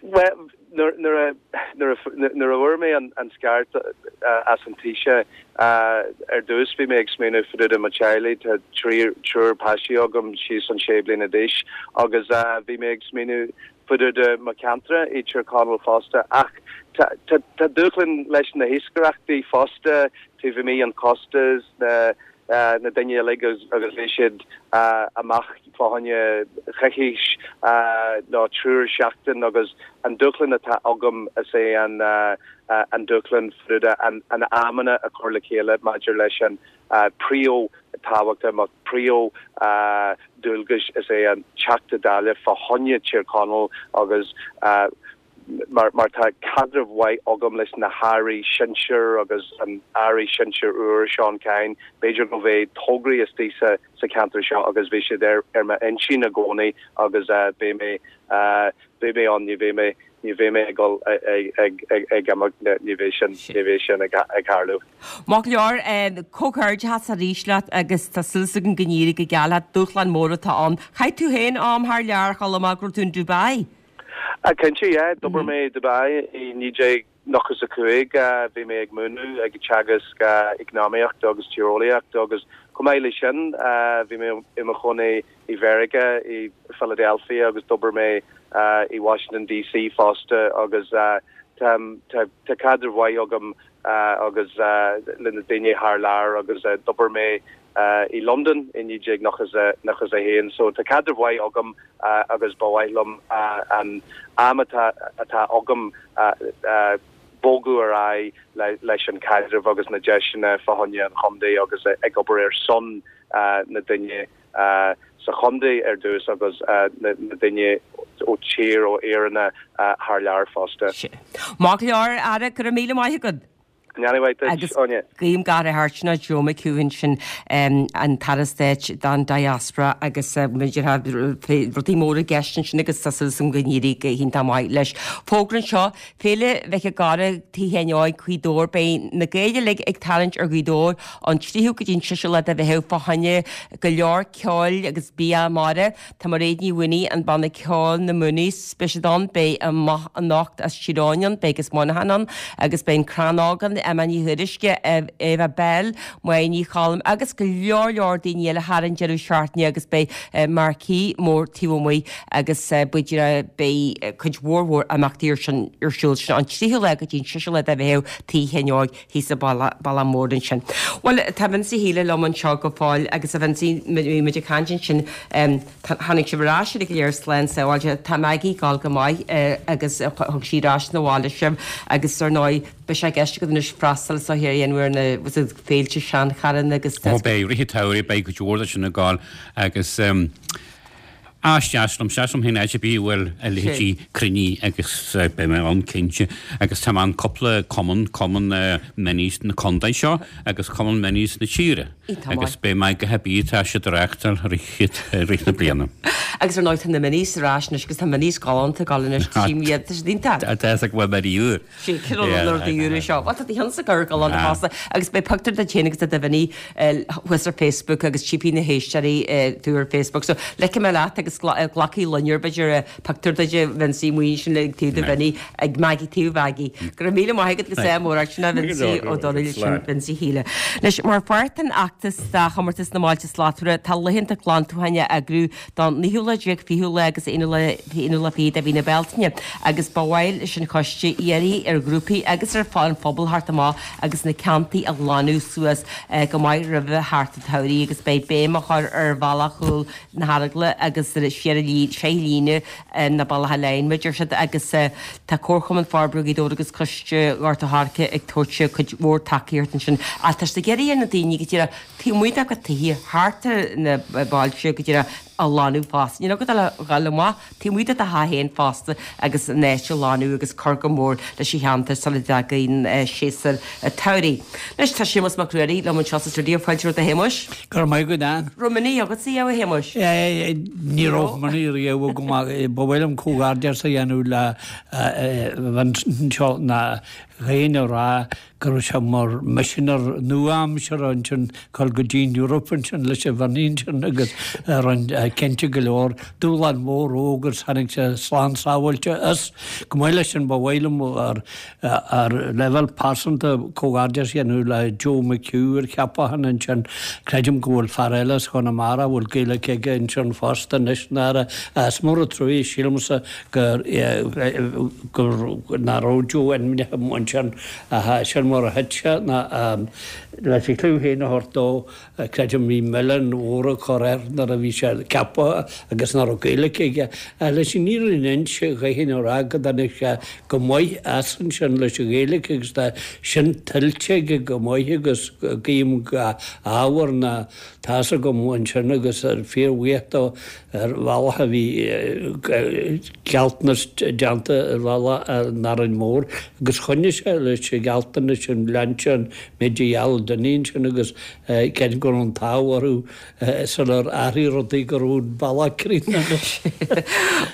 Well, nuair a nuair a fuair mé an an scairt as an Taoiseach ar dtús bhí mé ag smaoineamh fá dtaobh de mo teaghlaigh tá triúr páistí agam síos an sé bliana d'aois agus bhí mé ag smaoineamh fá dtaobh de mo cheantar i Tír Chonaill fosta ach tá dúshlán leis na hiascaireachtaí fosta taobh amuigh an costas na na daoine uilig agus bhí siad amach fá choinne coicís nó triúr seachtain agus an dúshlán atá agam is é an an dúshlán fá an an amanna a chur le chéile maidir leis an príomh tábhacht mo príomh dualgais is é an Teachta Dála fá choinne Tír Chonaill agus mar mar tá caidreamh mhaith agam leis na hairí sinsir agus an aire sinsir úr Seán Kyne b'fhéidir go bheidh tograí istigh sa sa cheantar seo agus bhí siad ar ar m'intinn i gcónaí agus uh, beidh mé uh, beidh mé ann ní bheidh mé ní bheidh mé ag dul ag ag ag imeacht ní bheidh sin ní bheidh sin ag ag tarlú. Maith go leor comhghairdeas arís leat agus tá súil againn go n-éireoidh go geal leat dúshlán mór atá ann. Chaith tú féin am thar lear chomh maith go raibh tú in Dubai. A cinnte yeah, d'obair mé i Dubai i naoi déag nócha a cúig bhí mé ag múineadh ag teagasc eacnamaíocht agus tíreolaíocht agus chomh maith leis sin bhí mé i mo chónaí i Mheiriceá i Philadelphia agus d'obair mé i Washington DC fosta agus tá tá caidreamh mhaith agam agus le na daoine thar lear agus d'obair mé i London i naoi déag nócha nócha a haon, so tá caidreamh mhaith agam agus ba mhaith liom an am atá atá agam bogadh ar aghaidh leis an caidreamh agus na deiseanna fá choinne an chontae agus ag obair ar son na daoine sa chontae ar dtús agus na daoine ó tír ó Éireann thar lear fosta. Maith go leor a Aire go raibh míle maith agat. Agus guím gach rath ort Joe McHugh sin an tAire Stáit don Diaspora agus rudaí móra i gceist ansin agus tá súil agam go n-éireoidh go hiontach maith leis. Fógra anseo Féile Mhic an Gharra Tigh Sheáin Óig Gaoth Dobhair beidh na Gaeil uilig ag tarraingt ar Ghaoth Dobhair an tríú go dtí an seisiú lá de Mheitheamh fá choinne go leor ceoil agus bia mara. Tá Mairéad Ní Mhaonaigh an banna ceoil na Moonies beidh siad ann beidh amach anocht as Tír Eoghain ann beidh agus Monaghan ann agus beidh an Crannóg ann Emma Ní Thuairisg Eva Bell Máire Ní Cholm agus go leor leor daoine eile thar an deireadh seachtaine agus beidh marquee mór taobh amuigh agus b'fhéidir beidh cuid mhór mhór imeachtaí ar sin ar siúl sin an tríú lá go dtí an seisiú lá de Mheitheamh Tigh Sheáin Óig thíos sa Bhaile Mór ansin. Bhuel tá Vincie Healy liom anseo go fóill agus a Vincie muid ag caint ansin tháinig sibh ar ais go léir slán sábháilte tá Maggie ag dul go maith agus thug sí ar ais na bhaile sibh agus ar ndóigh beidh sé i gceist agat anois freastal so ar aon na féilte seancharann agus Ó beidh rith an tsamhraidh beidh cuid mhór de sin ag gabháil agus Is deas liom deas liom féin áit ar bith a bhfuil a leithéidí cruinnithe agus beidh mé ann cinnte agus tá mé in cúpla cumann, cumann Minis na contae seo agus cumann Minis na tíre agus beidh mé go haibí tá siad ag reáchtáil rith rith na bliana. Agus ar ndóigh tá na Minis ar ais anois agus tá Minis galánta ag gabháil anois tchím iad tá siad iontach. Tá a fhios ag bhfuil mé úr. Sí cineál an rudaí úra seo. Bhuel tá do chionn sa gcur galánta fosta agus beidh pictiúr duit féin agus de do Mhiní thuas ar Facebook agus tchífidh na héisteoirí tú ar Facebook. So ligfidh mé leat agus glacfaidh Loinnir b'fhéidir pictiúr duit a Vincie amuigh ansin ag taobh do Mhiní ag Maggie taobh Mhaggie. Go raibh míle maith agat agus ádh mór ort sin a Vincie Ó Domhnaill sin Vincie Healy. Anois mar pháirt den fheachtas do chomórtas na mBailte Slachtmhara tá laethanta glantúcháin á eagrú don naoú lá déag fichiú lá agus aonú lá aonú lá fiche de mhí na Bealtaine agus ba mhaith leis an choiste iarraidh ar ghrúpaí agus ar an phobal theacht amach agus na ceantair a ghlanadh suas go maith roimh theacht an tsamhraidh agus beidh béim á chur ar bhealach chúl na hEaragla agus siar sé líne na Bealacha Leathan mar a deir siad agus tá Comharchumann Forbartha Ghaoth Dobhair agus Coiste Ghort a' Choirce ag tabhairt cuid mhór tacaíocht ansin ach tá siad ag iarraidh ar na daoine go díreach taobh amuigh dá gcuid tithe thart ar na bailte go díreach a ghlanadh fosta. Níl agat ach a ghabháil amach taobh amuigh de do theach féin fosta agus an áit a ghlanadh agus cur go mór leis an cheantar sula dtagann séasúr an tsamhraidh. Anois tá Séamus Mac Ruairí liom anseo sa stiúideo fáilte romhat a Shéamuis. Go raibh maith agat Ann. Raibh Mini agatsa a Shéamuis? Ní raibh Mini riamh agam ba mhaith liom comhghairdeas a dhéanamh le Vincent na dhaoine a rá go raibh sé mar misinéir nua-aimseartha ansin dul go dtí an Eoraip ansin leis an Mhini ansin agus rinne cinnte go leor dúshlán mór ó agus tháinig sé slán sábháilte as. Chomh maith leis sin ba mhaith liom ar ar leibhéal pearsanta comhghairdeas a dhéanamh le Joe McHugh ar cheapachán ansin. Creidim go bhfuil fear eile as Conamara a bhfuil Gaeilge aige ansin fosta anois ina Aire. Is mór an trua sílimse gur gur nach raibh Joe ainmnithe ansin sin mar a thit sé ná leis an chliú féin a thabhairt dó creidim bhí milleán mhór á chur air nuair a bhí sé ceaptha agus nach raibh Gaeilge aige. Leis an fhírinne a inse chaithfinn a rá go dtáinig sé go maith as ansin leis an Ghaeilge agus tá sin tuillte aige go maith agus guím ábhar ná tá's agam ansin agus fíorbhuíoch dó ar bhealach a bhí gealltanas déanta ar bhealach in Árainn Mhór agus choinnigh sé leis an ghealltanas sin lean sé an méid a gheall duine ansin agus creidim go raibh an t-ádh orthu sular athraigh rudaí go raibh an bealach críochnaithe.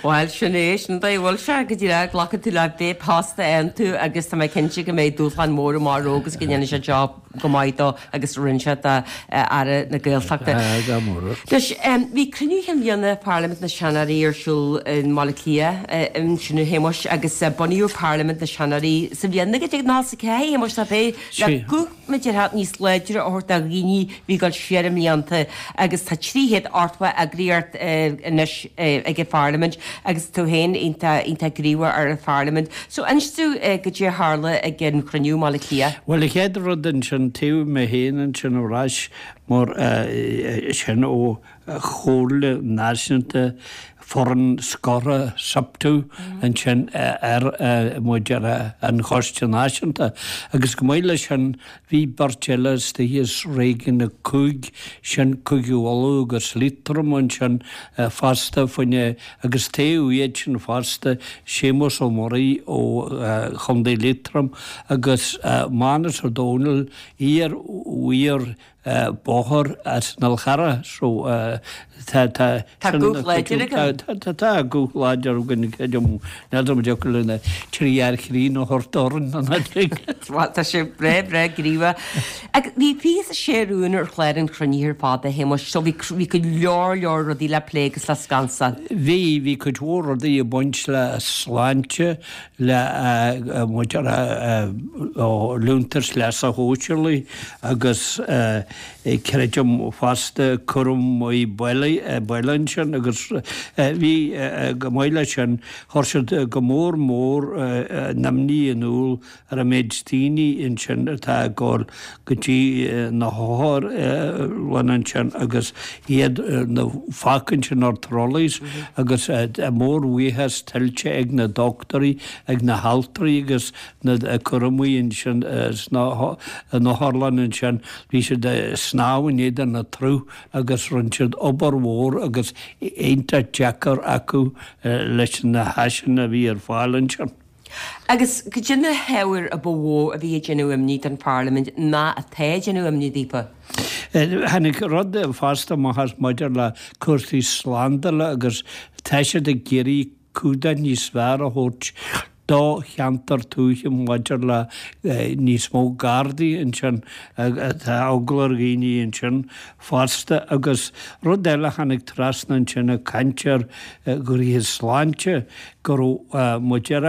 Bhuel sin é, sin an dóigh a bhfuil sé go díreach glacann tú le pé post a fhaigheann tú agus tá mé cinnte go mbeidh dúshlán mór amach romhainn agus go ndéanfaidh sé job go maith dó agus rinne sé do Aire na Gaeltachta. Anois, bhí cruinniú chinn bhliana Pharlaimint na Seanóirí ar siúl i mBaile Átha Cliath ansin a Shéamuis agus bunaíodh Parlaimint na Seanóirí sa bhliain naoi déag nócha a ceathair, a Shéamuis, nach é, le guth mar a déarfá níos láidre a thabhairt do dhaoine a bhí ag dul siar i mblianta agus tá trí chéad ochtó eagraíocht anois ag an Pharlaimint agus tú féin iontach iontach gníomhach ar an Pharlaimint. So inis domh goidé a tharla ag an chruinniú i mBaile Átha Cliath. Bhuel, an chéad rud ansin, taobh mé féin ansin ar ais mar sin ó Chomhairle Náisiúnta Foireann Scortha SIPTU ansin ar muid ar an Choiste Náisiúnta agus chomh maith leis sin bhí beirt eile istigh as Réigiún a Cúig, sin Cúige Uladh agus Liatroim ansin fosta faoina agus taobh iad sin fosta Séamus Ó Muirí ó Chontae Liatroim agus Mánus Ó Domhnaill, iar-mhaor bóthair as an Fhál Charrach so tá tá Tá guth láidir againn. Tá tá guth láidir againn creidim níl a fhios agam an dtiocfadh linn trí fhear chruinn a thabhairt orainn an Bhuel tá sé breá breá gníomhach. Agus bhí fiche is a sé rún ar chlár an chruinnithe ar fad a Shéamuis so bhí bhí go leor leor rudaí le plé agus le scansáil. Bhí bhí cuid mhór rudaí ag baint le sláinte le muid ar liúntas leasa shóisialaigh agus creidim fosta cúramaí baile baile ansin agus bhí chomh maith leis sin chuir siad go mór mór a n-imní in iúl ar an méid daoine ansin atá ag gabháil go dtí na hotharlanna ansin agus iad na fágtha ansin ar trolleys agus mórbhuíochas tuillte ag na dochtúirí ag na haltraí agus na cúramaí ansin sna hotharlanna ansin bhí siad ag snámh in éadan an tsrutha agus rinne siad obair mhór agus iontach deacair acu leis na háiseanna a bhí ar fáil ansin. Agus cad é na hábhair a ba mhó a bhí ag déanamh imní don Pharlaimint ná atá ag déanamh imní daofa? Tháinig rud fosta amach as maidir le cúrsaí slándála agus tá siad ag iarraidh cumhdach níos fearr a thabhairt do cheantar tuaithe maidir le níos mó gardaí ansin, tá eagla ar dhaoine ansin fosta agus rud eile a tháinig trasna ansin ag caint ar ghnoithe sláinte go raibh muid ar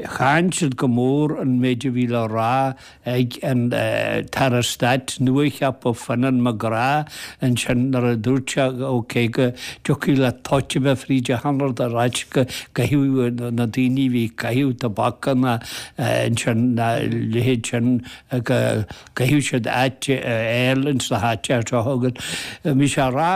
Cháin siad go mór an méid a bhí le rá ag an tAire Stáit nuacheaptha Finan McGrath ansin nuair a dúirt sé ok go dtiocfadh le toit a bheith fríd achan rud ar ait go gcaithfeadh na daoine a bhí ag caitheamh tobac ná ansin ná leithéid sin go gcaithfeadh siad áit a fháil ins na háiteacha seo agus bhí sé a rá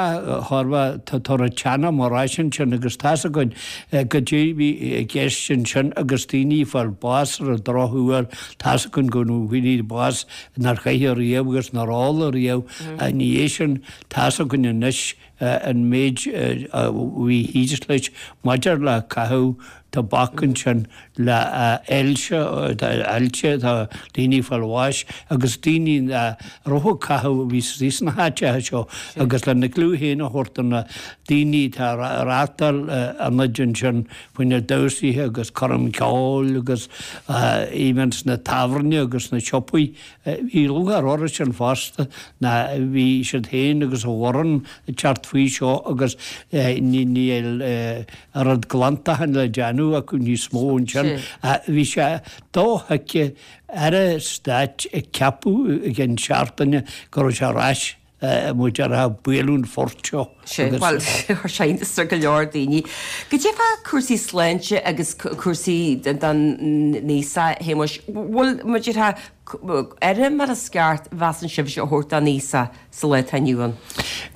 chóir a bheith tá tabharfaidh teanam ar ais ansin agus tá's againn goidé a bhí i gceist ansin agus daoine ag fáil bás ar an drochuair tá's againn go raibh daoine bás nár chaith ariamh agus nár ól ariamh ina dhiaidh sin tá's againn anois an méid a bhí thíos leis maidir le caitheamh tobac ansin le ailse, ailse, tá daoine ag fáil bháis agus daoine a raibh ag caitheamh a bhí istigh sna háiteacha seo agus lena gclú féin a thabhairt do na daoine atá ag reáchtáil ionaid ansin faoi na damhsaithe agus coirm ceoil agus even sna tábhairne agus sna siopaí. Bhí lúcháir orthu sin fosta ná bhí siad féin agus a bhfoireann ag teacht faoi seo agus níl oiread glantacháin le déanamh acu níos mó ansin. Bhí sé dothuigthe aire stáit a ceapadh i gceann seachtaine go raibh sé ar ais muid ar a bualadh an phort seo. Sea, bhuel, chuir sé iontas ar go leor daoine. Goidé fá cúrsaí sláinte agus cúrsaí don aosach, a Shéamuis, bhfuil, mar a déarfá, aire mar is ceart, mheasann sibhse, a thabhairt don aosach sa lá atá inniu ann?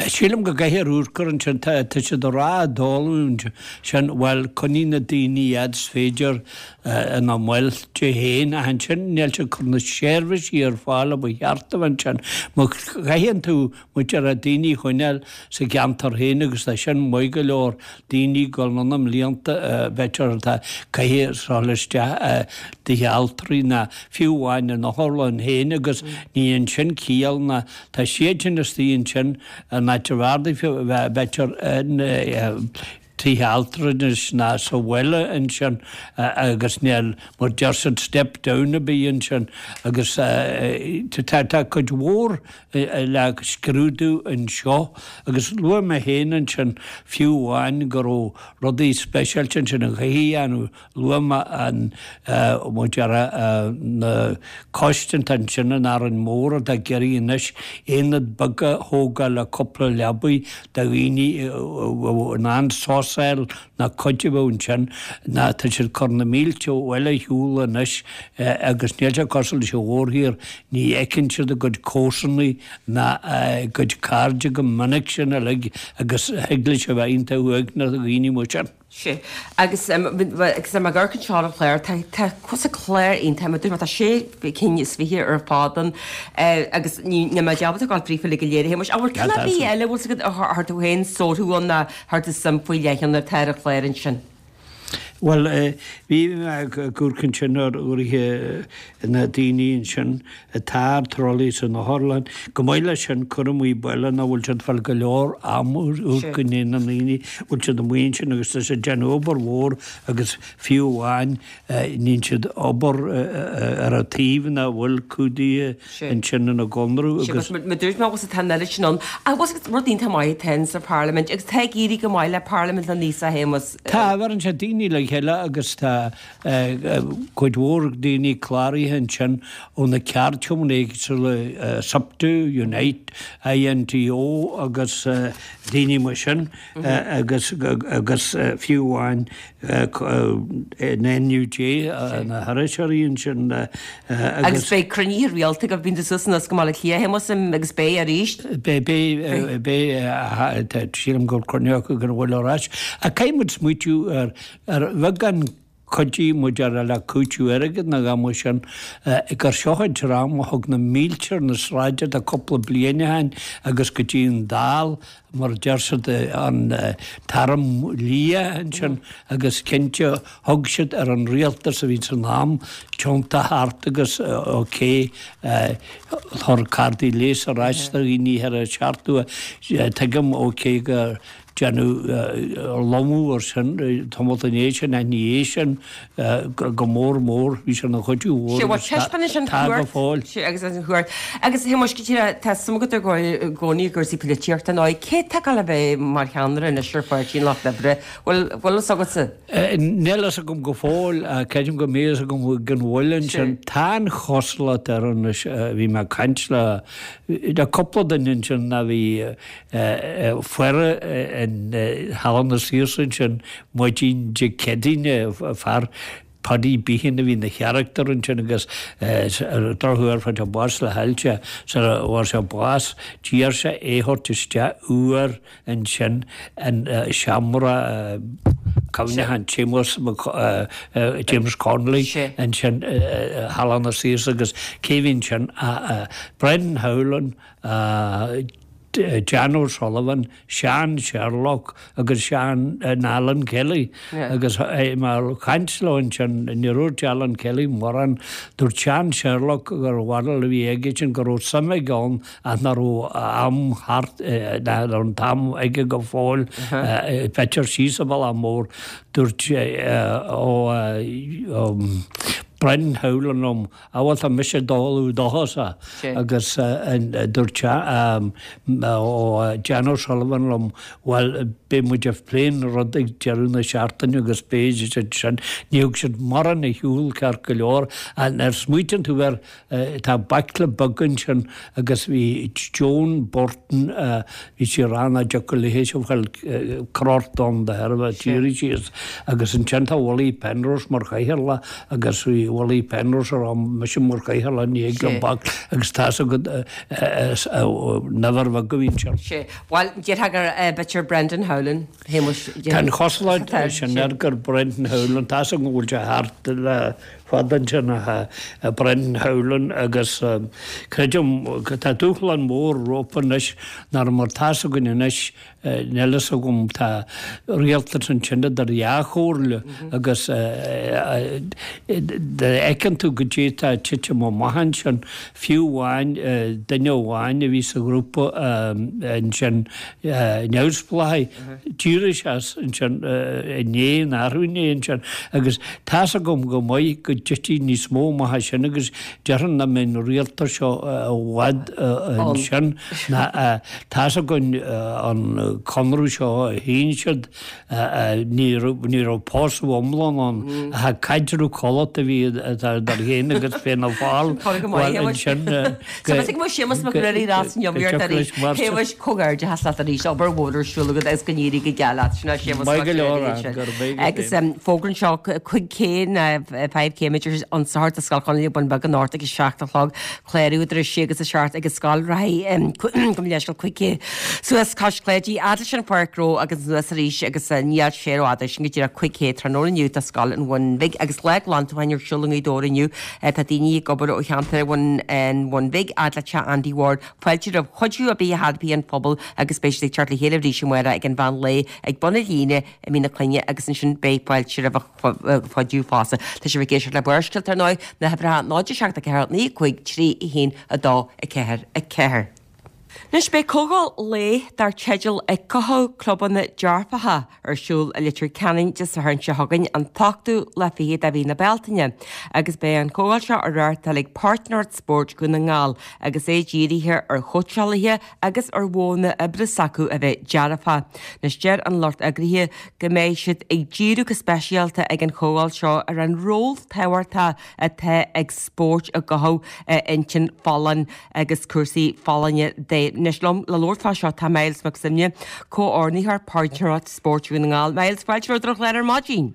Sílim go gcaithfear amharc air ansin. Tá siad ag rá i dtólamh ansin, bhuel, coinnigh na daoine fhad is féidir ina mbailte féin ach ansin níl siad ag cur na seirbhísí ar fáil a ba cheart a bheith ansin. Má chaitheann tú muid ar daoine a choinneáil sa gceantar féin agus tá sin maith go leor, daoine ag dul anonn i mblianta b'fhéidir atá caithfidh dul isteach i dtithe altraí ná fiú amháin in otharlann féin agus ní dhéanann sin ciall ná tá siad sin istigh ansin in áit ar bhfearr daofa bheith b'fhéidir in tithe altranais ná sa bhaile ansin agus níl mar deir siad step down ar bith ansin agus tá tá cuid mhór le scrúdú anseo agus luaigh mé féin ansin fiú amháin go raibh rudaí speisialta ansin a chaithfí a dhéanamh Luaigh mé an mar a déarfá na coiste atá ansin in Árainn Mhór atá ag iarraidh anois aonad beag a thógáil le cúpla leabaidh do dhaoine a bheadh in ann sos a fháil ná cuid a bheadh ansin ná tá siad ag cur na mílte abhaile ar shiúl anois agus níl sé cosúil leis an mhórthír, ní fheiceann siad a gcuid comharsanaí ná a gcuid cairde go minic sin uilig agus thig leis a bheith iontach uaigneach do dhaoine mar sin. Sea. Agus agus tá mé ag amharc anseo ar an chlár, tá tá cúrsa clár iontach, mar dúirt mé, tá sé cinn is fiche ar fad ann agus ní níl mé ábalta gabháil fríofa uilig go léir a Shéamuis. Ach bhfuil ceann ar bith eile a bhfuil 's agat a chuir tú féin sórt ann ná chuir tú suim faoi leith ann atá ar an chlár ansin? Bhuel, bhí mé ag amharc ansin ar uairithe na daoine ansin atá ar trolaí san otharlann. Chomh maith leis sin, cur amuigh baile nach bhfuil siad ag fáil go leor ama amharc i ndiaidh na ndaoine, bhfuil siad amuigh ansin agus tá siad ag déanamh obair mhór agus fiú amháin níonn siad obair ar an taobh nach bhfuil cumhdaithe ansin ina gconradh agus. Sea, mar dúirt mé, bhfuil tá an oiread sin ann. Ach bhfuil rud iontach maith atá ann sa Pharlaimint agus tá ag éirí go maith le Parlaimint na nAosach, a Shéamuis. Tá, bheireann sé daoine le chéile agus tá cuid mhór daoine cláraithe ansin ó na ceardchumainn éagsúla, SIPTU, Unite, INTO agus daoine mar sin agus agus fiú amháin an NUJ, na hiriseoirí ansin agus. Agus beidh cruinnithe rialta agaibh, bíonn tú suas anuas go Baile Átha Cliath, a Shéamuis, agus beidh arís. Beidh, beidh, beidh, sílim go bhfuil cruinniú acu go bhfuil ar ais. Ach caithfidh muid smaoitiú ar ar bheagán cuidiú muid ar le cúiteamh airgid nó a dhath mar sin, gur seo an dream a thug na mílte ar na sráideanna cúpla bliain ó shin agus go dtí an Dáil mar a deir siad an tArm Liath ansin agus cinnte thug siad ar an rialtas a bhí san am tiontú thart agus ok chuir cártaí leighis ar ais do dhaoine ar a seachtú tuigim ok go Déanadh lomadh ar sin tamall ina dhiaidh sin ach ina dhiaidh sin go mór mór bhí sé ina chuidiú mhór Sé bhuel agus taispeánann sin tá go chuairt fóill. Sé agus an chuairt. Agus a Shéamuis, cinnte tá suim agat i gcónaí i gcúrsaí polaitíochta nó cé tá ag dul a bheith mar cheannaire anois ar Pháirtí an Lucht Oibre? Bhfuil bhfuil fhios agatsa? Níl fhios agam go fóill ach creidim go mbeidh fhios agam gan mhoill ansin. Tá an chosúlacht air anois, bhí mé ag caint le le cúpla duine ansin a bhí faire in Halla na Saoirse ansin maidin Dé Céadaoine, fear Paddy Behan a bhí ina charachtar ansin agus ar an drochuair fuair sé bás le hailse sara bhfuair sé bás d'iarr sé é a thabhairt isteach uair ansin in seomra cuimhneacháin Seamus James Connolly ansin i Halla na Saoirse agus cé bhí ansin ach Brendan Howlin, Jan O'Sullivan, Seán Sherlock agus Seán Alan Kelly agus mar chaint leo ansin ní dúirt Alan Kelly mórán dúirt Seán Sherlock gur bharúil a bhí aige sin go raibh suim aige ann ach nach raibh am thart nach raibh an t-am aige go fóill b'fhéidir síos an bealach mór dúirt ó Brendan Howlin liom a bhfuil tá mise dul dóchasa agus dúirt ó Jan O'Sullivan liom bhuel beidh muid ag plé an rud ag deireadh na seachtaine agus beidh siad sin ní thug siad mórán ar shiúl ceart go leor nuair a smaoitíonn tú air tá baicle beag ansin agus bhí Joan Burton bhí sí ag rá nach dtiocfadh léi seo bhfuil crot ann de thairbhe tíre síos agus ansin tá Willie Penrose mar chathaoirleach agus bhí Willie Penrose ag rá mise mar chathaoirleach ní ag an bac agus tá a fhios agat never bheag a bhí ansin. Sé. Bhuel, déarfá gur b'fhéidir Brendan Howlin, Shéamuis. Tá an chosúlacht sin air gur Brendan Howlin, tá a fhios agam go bhfuil sé thart le fada ansin ach Brendan Howlin agus creidim tá dúshlán mór rompu anois nár mar tá a fhios againn anois níl a fhios agam tá rialtas ansin idir dhá chomhairle agus fheiceann tú go dtí tá titim amach ansin fiú amháin duine amháin a bhí sa ghrúpa ansin neamhspleáchaigh d'éirigh sé as ansin inné an athrú inné ansin agus tá a fhios agam go maith go dtitfidh níos mó amach as sin agus déarfainn nach mbeidh an rialtas seo i bhfad ansin ná tá a fhios againn an conradh seo a shín siad ní raibh ní raibh pósadh iomlán ann ach caidreamh codlata a bhí idir féin agus Fianna Fáil bhuel ansin Tá mé ag mo Séamus Mac Ruairí Ras an iomaíocht arís Shéamuis comhghairdeachas leat arís obair mhór ar siúl agat agus go n-éirí go geal leat sin é Séamus Mac Maith go leor Ruairí ann go raibh maith agat Agus fógra anseo cúig cé five K idir an Satharn tá Scoil Chonnaile Bun Beag anocht ag a seacht a chlog clárú idir a sé agus a seacht agus Scoil Ráthaigh gabh mo leithscéal cúig K suas cois Cláidí fhad leis an Pháirc Ghnó agus anuas arís agus níl sé rófhada sin go díreach cúig K tráthnóna inniu tá Scoil an Bhun Bhig agus lá glantacháin ar siúl i nGaoth Dobhair inniu tá daoine ag obair ó cheantar an Bhun Bhig fhad le teach Andy Ward fáilte roimh chuidiú ar bith a thairfidh an phobal agus beidh siad ag teacht le chéile arís amárach ag an mheán lae ag bun na líne i Mín na Clainne agus ansin beidh fáilte roimh chuidiú fosta. Tá sibh ag éisteacht le Barrscéalta ar ndóigh, na huimhreacha náid a seacht a ceathair naoi cúig trí a haon a dó a ceathair a ceathair. Anois beidh comhdháil lae dar teideal Ag Cothú Clubanna Dearfacha ar siúl i Leitir Ceanainn Dé Sathairn seo chugainn, an t-ochtú lá fichead de mhí na Bealtaine, agus beidh an chomhdháil seo á reáchtáil ag Páirtnéireacht Spóirt Dhún na nGall agus é dírithe ar chóitseálaithe agus ar mhodhanna oibre s'acu a bheith dearfach. Anois deir an lucht eagraithe go mbeidh siad ag díriú go speisialta ag an chomhdháil seo ar an ról tábhachtach atá ag spórt i gcothú intinn folláin agus cúrsaí folláine de. Anois liom le labhairt fá seo tá Myles Mac Suibhne, Comhordaitheoir Páirtnéireacht Spóirt Dhún na nGall. Myles, fáilte romhat ar an chlár ar maidin.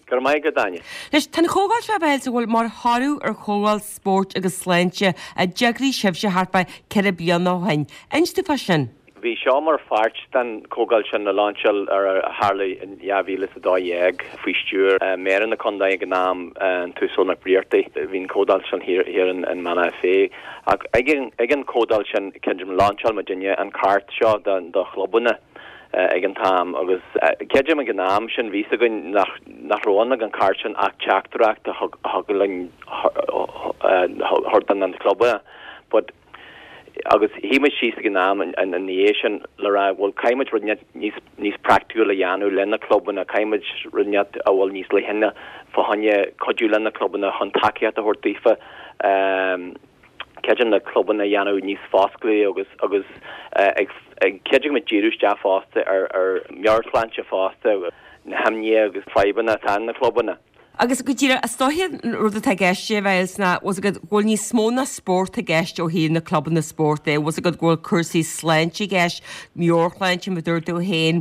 Go raibh maith agat, Áine. Anois, tá an chomhdháil seo, a Mhyles, a bhfuil mar thoradh ar chomhdháil spóirt agus sláinte a d'eagraigh sibhse thart fá ceithre bliana ó shin. Inis dúinn fá sin. Bhí seo mar pháirt den chomhdháil sin a lainseáil ar a tharla in dhá mhíle is a dó dhéag faoi stiúir Méara na Contae ag an am, an tUasal Mac Briartaigh. Bhí an chomhdháil sin thiar in Beanna Féith. Ach ag an chomhdháil sin, creidim, lainseáil muidinne an cairt seo do chlubanna. ag an t-am agus creidim ag an am sin bhí 's againn nach nach raibh ann ag an chairt sin ach teachtaireacht a thug a thug linn thabhairt do na clubanna but agus shuigh muid síos ag an am ina dhiaidh sin le rá bhuel caithfidh muid rud níos níos praiticiúil a dhéanamh le na clubanna caithfidh muid rud a bhfuil níos leithne fá choinne cuidiú le na clubanna chun tacaíocht a thabhairt daofa creidim na clubanna a dhéanamh níos fosclaí agus agus ag creidim ag díriú isteach fosta ar ar meabhairshláinte fosta, na himní agus fadhbanna atá in na clubanna. Agus go díreach, is dóiche an rud atá i gceist a Mhyles ná bhfuil 's agat go bhfuil níos mó ná spórt i gceist ó thaobh na clubanna spóirt de, bhfuil 's agat go bhfuil cúrsaí sláinte i gceist, meabhairshláinte mar a dúirt tú féin,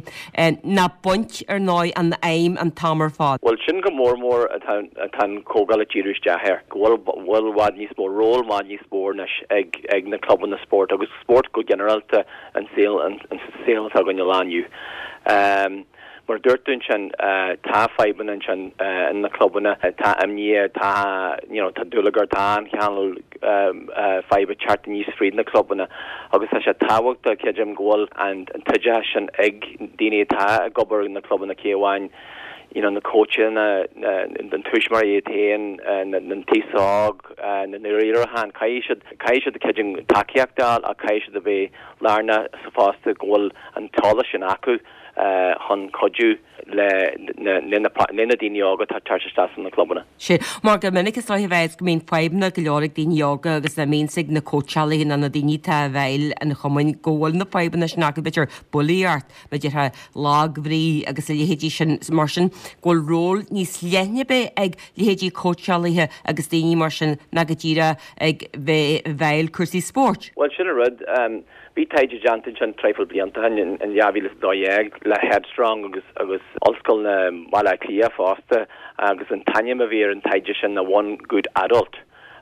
ná baint ar ndóigh an aidhm an t-am ar fad. Bhuel sin go mór mór atá atá an chomhdháil ag díriú isteach air, go bhfuil bhfuil i bhfad níos mó, ról i bhfad níos mó anois ag ag na clubanna spóirt agus spórt go ginearálta an saol an saol atá againn an lá inniu. Mar a dúirt tú ansin, tá fadhbanna ansin in na clubanna, tá imní, tá you know tá dúlagar, tá an cineál fadhb ag teacht aníos fríd na clubanna agus tá sé tábhachtach, creidim, go bhfuil an t-oideachas sin ag daoine atá ag obair na clubanna, cé amháin you know na cóitseanna, na tuismitheoirí iad féin, na t-aos óg, na riaracháin. Caithfidh siad caithfidh siad creidim tacaíocht a fháil ach caithfidh siad a bheith lárnach sa fosta go bhfuil an t-eolas sin acu chun cuidiú le le na daoine óga atá ag teacht isteach sna clubanna. Sea, mar go minic is dóigh a bheas go mbíonn fadhbanna go leor ag daoine óga agus a mbíonns ag na cóitseálaithe nó na daoine atá i bhfeighil an chumainn go bhfuil na fadhbanna sin acu, b'fhéidir bulaíocht, b'fhéidir lagbhrí agus a leithéidí sin, mar sin go bhfuil ról níos leithne bheith ag leithéidí cóitseálaithe agus daoine mar sin ná go díreach ag bheith i bhfeighil cúrsaí spóirt. Bhuel, sin an rud. Bhí taighde déanta ansin traidhfil blianta ó shin, in dhá mhíle is a dó dhéag, le Headstrong agus agus Ollscoil na Baile Átha Cliath fosta agus an t-ainm a bhí ar an taighde sin ná One Good Adult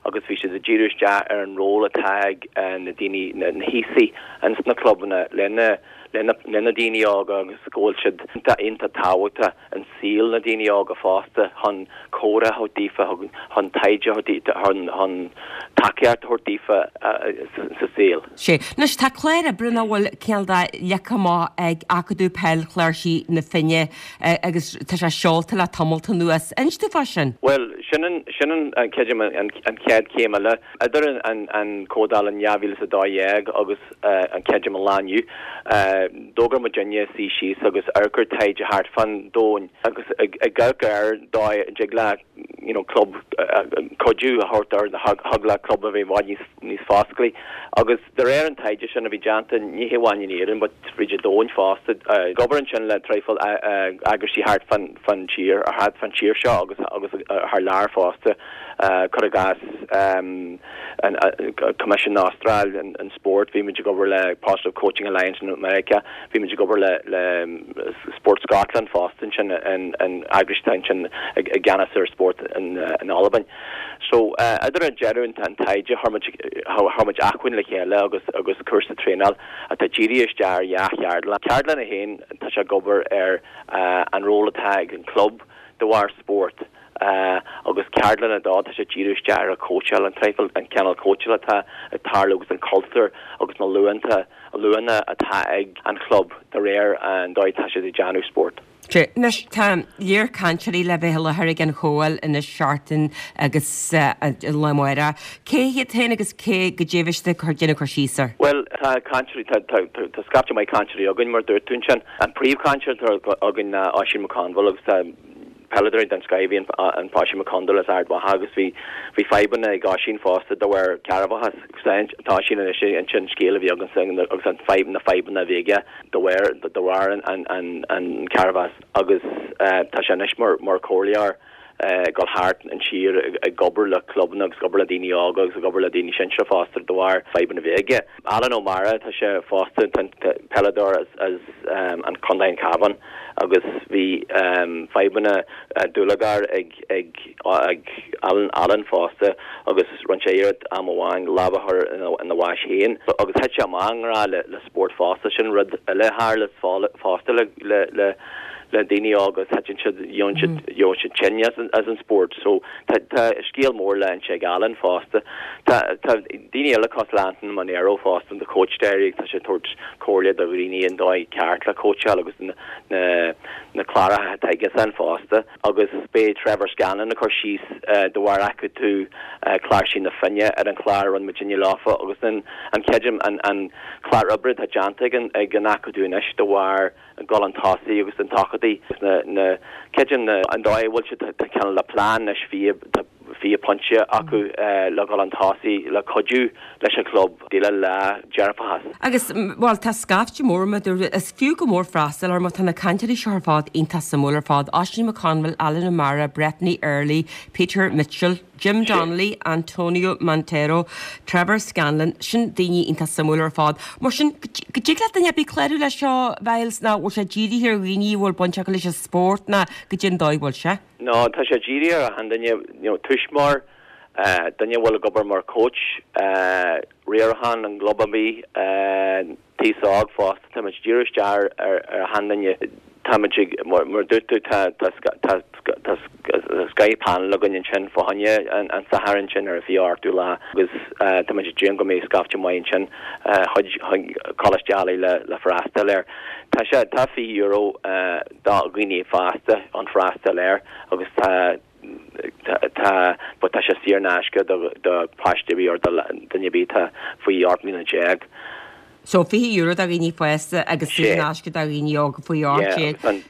agus bhí siad ag díriú isteach ar an ról atá ag na daoine, na haosaigh ins na clubanna lena lena na daoine óga agus go bhfuil siad iontach iontach tábhachtach in saol na daoine óga fosta chun comhrá a thabhairt daofa, chun taighde a thabhairt chun chun tacaíocht a thabhairt daofa sa saol. Sea. Anois tá clár oibre nach bhfuil cineál de leagtha amach ag Acadamh Peil Chláirsigh na Finne agus tá sé seolta le tamalt anuas. Inis dúinn fá sin. Bhuel, sin an, sin an, creidim, an chéad chéim eile. Idir an, an comhdháil in dhá mhíle is a dó dhéag agus an, creidim, an lá inniu, d'fhógair muidinne suí síos agus amharc ar taighde thart fán domhan agus ag amharc ar dóigh a dtig le you know club cuidiú a thabhairt ar thig le club a bheith i bhfad níos níos fosclaí agus de réir an taighde sin a bhí déanta ní hamháin in Éirinn but fríd an domhan fosta ag obair ansin le traidhfil eagraisí thart fán fán tír thart fán tír seo agus agus thar lear fosta cuir i gcás an Coimisiún na Astráil an Spórt, bhí muid ag obair le Positive Coaching Alliance in America, bhí muid ag obair le le Sport Scotland fosta ansin an an eagrais atá ansin i gceannas ar spórt in in Albain. So idir an deireadh an taighde chuir muid chuir muid acmhainn le chéile agus agus cúrsa traenáil atá dírithe isteach ar dhá cheardlann. Ceardlann a haon tá sé ag obair ar an ról atá ag an club de bharr spórt agus ceardlann a dó tá sé díriú isteach ar an cóitseáil, an traidhfil, an cineál cóitseáil atá ag tarlú agus an cultúr agus na luanta, luanna atá ag an chlub de réir an dóigh atá siad ag déanamh spórt. Anois tá léar cainteoirí le bheith i láthair ag an chomhdháil anois seachtain agus lá amárach. Cé hiad féin agus cé go dtéimhiste ag déanamh cur síos air? Bhuel, tá cainteoirí, tá, tá, tá scaifte maith cainteoirí againn mar dúirt tú ansin. An príomhchainteoir atá againn ná Oisín McConville agus tá peileadóir den scoth a bhí in Oisín McConville as Ard Mhacha agus bhí bhí fadhbanna ag Oisín fosta de bharr cearrbhachas. Tá Oisín anois ag insint an scéal a bhí aige agus an fadhb na fadhbanna a bhí aige de bharr de bharr an an an an cearrbhachas agus tá sé anois mar mar chomhairleoir ag dul thart an tír ag obair le clubanna agus ag obair le daoine óga agus ag obair le daoine sinseartha fosta de bharr fadhbanna a bhí aige. Alan O'Mara tá sé fosta peileadóir as as an Contae an Cabhán agus bhí fadhbanna dúlagair ag ag ag Alan Alan fosta agus rinne sé iarracht am amháin lámh a chur ina bhás féin agus thit sé amach i ngrá le le spórt fosta sin rud eile a tharla fosta le le le le daoine óga thiteann siad gheobhann siad gheobhann siad tinn as an as an spórt so tá tá scéal mór le inse ag Alan fosta. Tá tá daoine eile cosúil le Anthony Monero fosta an coach d'éirigh tá sé ag tabhairt comhairle do dhaoine an dóigh ceart le cóitseáil agus na na na cláracha atá aigesan fosta agus beidh Trevor Scanlon ag cur síos de bharr Acadamh Chláirsigh na Finne ar an chlár a rinne muidinne leofa agus an an creidim an an clár oibre atá déanta ag an ag an Acadamh anois de bharr dul chun tosaigh agus an tseachadadh na na creidim na an dóigh a bhfuil siad tá cineál le plean anois fiche tá fiche pointe acu le dul chun tosaigh le cuidiú leis an chlub déileáil le dearfachas. Agus bhuel tá scaifte mór mar is fiú go mór freastal ar mar tá na cainteoirí seo ar fad iontach suimiúil ar fad. Oisín McConville, Alan O'Mara, Breffni Early, Peter Mitchell, Jim Donnelly, Antonio Montero, Trevor Scanlon, sin daoine iontach suimiúil ar fad. Mar sin go dtig le duine ar bith clárú leis seo Mhiles ná bhfuil sé dírithe ar dhaoine a bhfuil baint acu leis an spórt ná goidé an dóigh a bhfuil sé. No, tá sé dírithe ar achan duine you know, tuismitheoir, uh, duine a bhfuil ag obair mar coach, uh, riarachán an gclub ar bith, uh, t-aos óg fosta, tá muid dírithe isteach ar ar achan duine. Táimid ag, mar a dúirt tú, tá tá scoith panel againn ansin fá choinne an Satharn sin ar an fiche ochtú lá agus táimid ag déanamh go mbeidh scaifte maith ansin chuig Coláiste Ailigh le le freastal air. Tá sé tá fiche euro do dhaoine fásta an freastal air agus tá tá but tá sé saor in aisce do do páiste ar bith or do duine ar bith atá faoi ocht mbliana déag. So fiche euro do dhaoine fásta agus saor in aisce do dhaoine óga faoi ocht déag.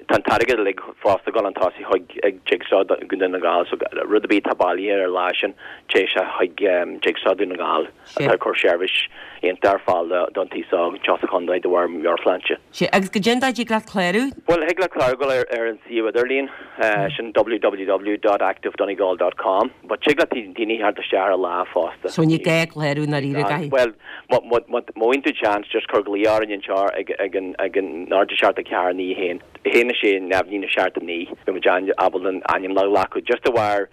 Tá an t-airgead uilig fosta ag dul chun tosaigh chuig Jigsaw Dhún na nGall so rud ar bith atá bailithe ar an lá sin téann sé chuig Jigsaw Dhún na nGall atá ag cur seirbhís iontach ar fáil don taos óg anseo sa chontae de bharr meabhairshláinte. Sea, agus goidé an dóigh a dtig leat clárú? Bhuel, thig leat clárú dul ar an suíomh idirlín, sin www dot activedonegal dot com but tig le daoine theacht isteach ar an lá fosta. So ní gá clárú i ndáiríre, caithfidh. Bhuel, má fhaigheann tú chance just cuir glaoch orainn anseo ag ag an ag an náid a seacht a ceathair naoi a haon a haon a sé neamh naoi seacht a naoi beidh muid ábalta an ainm a ghlacadh just de bharr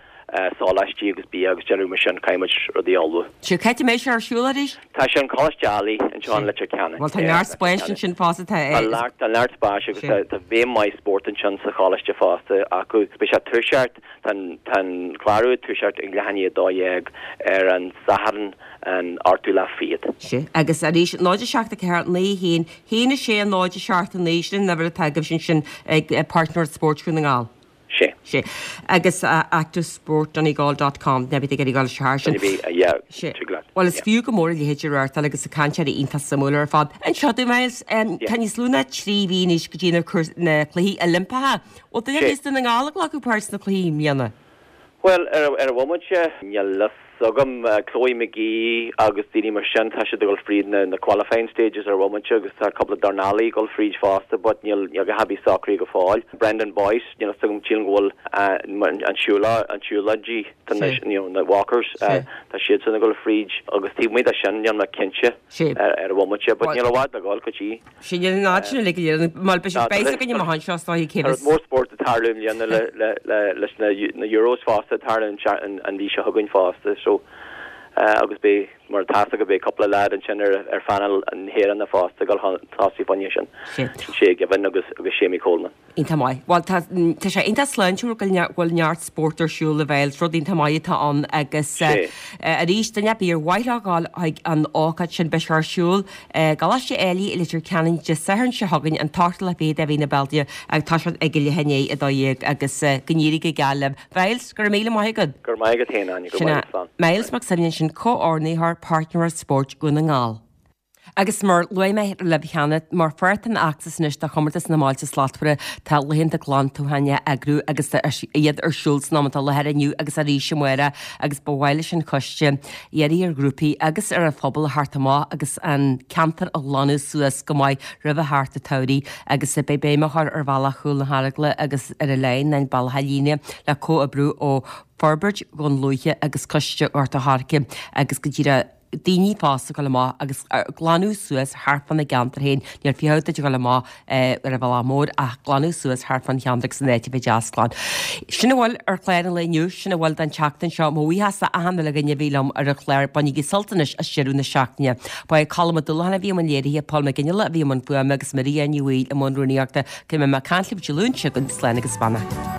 sóláistí agus bia agus déanamh mar sin caithfidh muid rudaí a ullmhú. Sea, cá háit a mbeidh sé ar siúl arís? Tá sé in Coláiste Ailigh anseo in Leitir Ceanainn. Bhuel tá neart spáis ansin fosta tá Tá neart tá neart spáis agus tá tá béim maith spóirt ansin sa choláiste fosta acu. Beidh sé ag toiseacht Tá an clárú ag toiseacht ag leath i ndiaidh a dó dhéag ar an Satharn an ochtú lá fichead. Sea, agus arís, náid a seacht a ceathair, naoi a haon, haon a sé, náid a seacht a naoi, sin an uimhir atá agaibhse ansin ag Páirtnóireacht Spóirt Dhún na nGall. Sea. Sea. Agus active sport donegal dot com, ná bí ag iarraidh dul isteach air sin. Duine bith, yeah, Sea. tig leat. Bhuel, is Yeah. fiú go mór a leithéid a reáchtáil agus na cainteoirí iontach suimiúil ar fad. Anseo dom, Myles, tá níos lú ná trí mhí anois go dtí na na Cluichí Oilimpeacha. Bhfuil duine ar bith as Dún na nGall ag glacadh páirt sna cluichí i mbliana? Bhuel, ar ar an bhomaite, níl a fhios agam. Chloe McGee agus daoine mar sin, tá siad ag dul fríd na na qualifying stages ar an bhomaite agus tá cúpla dornálaí ag dul fríd fosta but níl níl a dhath ar bith socraithe go fóill. Brendan Boyce, níl a fhios agam, sílim go bhfuil an siúlóid an siúlóidí tá na you know na walkers tá siadsan ag dul fríd agus taobh amuigh de sin níl mé cinnte ar an bhomaite but níl i bhfad le dhul go dtí. Sin an áit sin uilig go léir. Mar beidh siad beidh againn amach anseo is dóiche cé Tá rud mór spóirt ag tarlú i mbliana le le le leis na na Euros fosta ag tarlú an an mhí seo chugainn fosta so agus beidh mar atá a fhios agat beidh cúpla leaid ansin ar ar phainéal na hÉireann fosta ag dul chun tosaigh fá choinne sin. Sin Shay Given agus agus Seamie Coleman. Iontach maith. Bhuel tá tá sé iontach sláintiúil go bhfuil neart spóirt ar siúl a Mhyles, rud iontach maith atá ann agus arís duine ar bith ar mhaith leo dhul chuig an ócáid sin beidh sé ar siúl i gColáiste Ailigh i Leitir Ceanainn Dé Sathairn seo chugainn an t-ochtú lá fichead de mhí na Bealtaine ag toiseacht ag a leath i ndiaidh a dó dhéag agus go n-éirí go geal libh. Myles, go raibh míle maith agat. Go raibh maith agat féin, Áine, go Sin raibh é maith agat, slán. Myles Mac Suibhne ansin, Comhordaitheoir Páirtnóireacht Spóirt Dhún na nGall. Agus mar luaigh mé libh cheana, mar pháirt den fheachtas anois do Chomórtas na mBailte Slachtmhara, tá laethanta glantacháin á eagrú agus tá iad ar siúl san am atá i láthair inniu agus arís amárach agus ba mhaith leis an choiste iarraidh ar ghrúpaí agus ar an phobal a theacht amach agus an ceantar a ghlanadh suas go maith roimh theacht an tsamhraidh agus beidh béim á chur ar bhealach Chúl na hEaragla agus ar an Leidhin, an Bealach a' Líne le comhoibriú ó Forbairt Dhún Lúiche agus Coiste Ghort a' Choirce agus go díreach daoine fásta ag dul amach agus glanadh suas thart fána gceantar féin. Níl fiacha duit a dhul amach ar an bhealach mór ach glanadh suas thart fán cheantar agus an áit a bheith deas glan. Sin a bhfuil ar chlár an lae inniu, sin a bhfuil don tseachtain seo. Mo bhuíochas do achan uile dhuine a bhí liom ar an chlár. Bainigí sult anois as deireadh na seachtaine. Ba é Colm Ó Dúlacháin a bhí i mbun léirithe, Paul Mac Fhionnghaile a bhí i mbun fuaime agus Maria Ní Bhaoill i mbun rúnaíochta. Go mbeidh mé ag caint libh Dé Luain seo chugainn. Slán agus beannacht.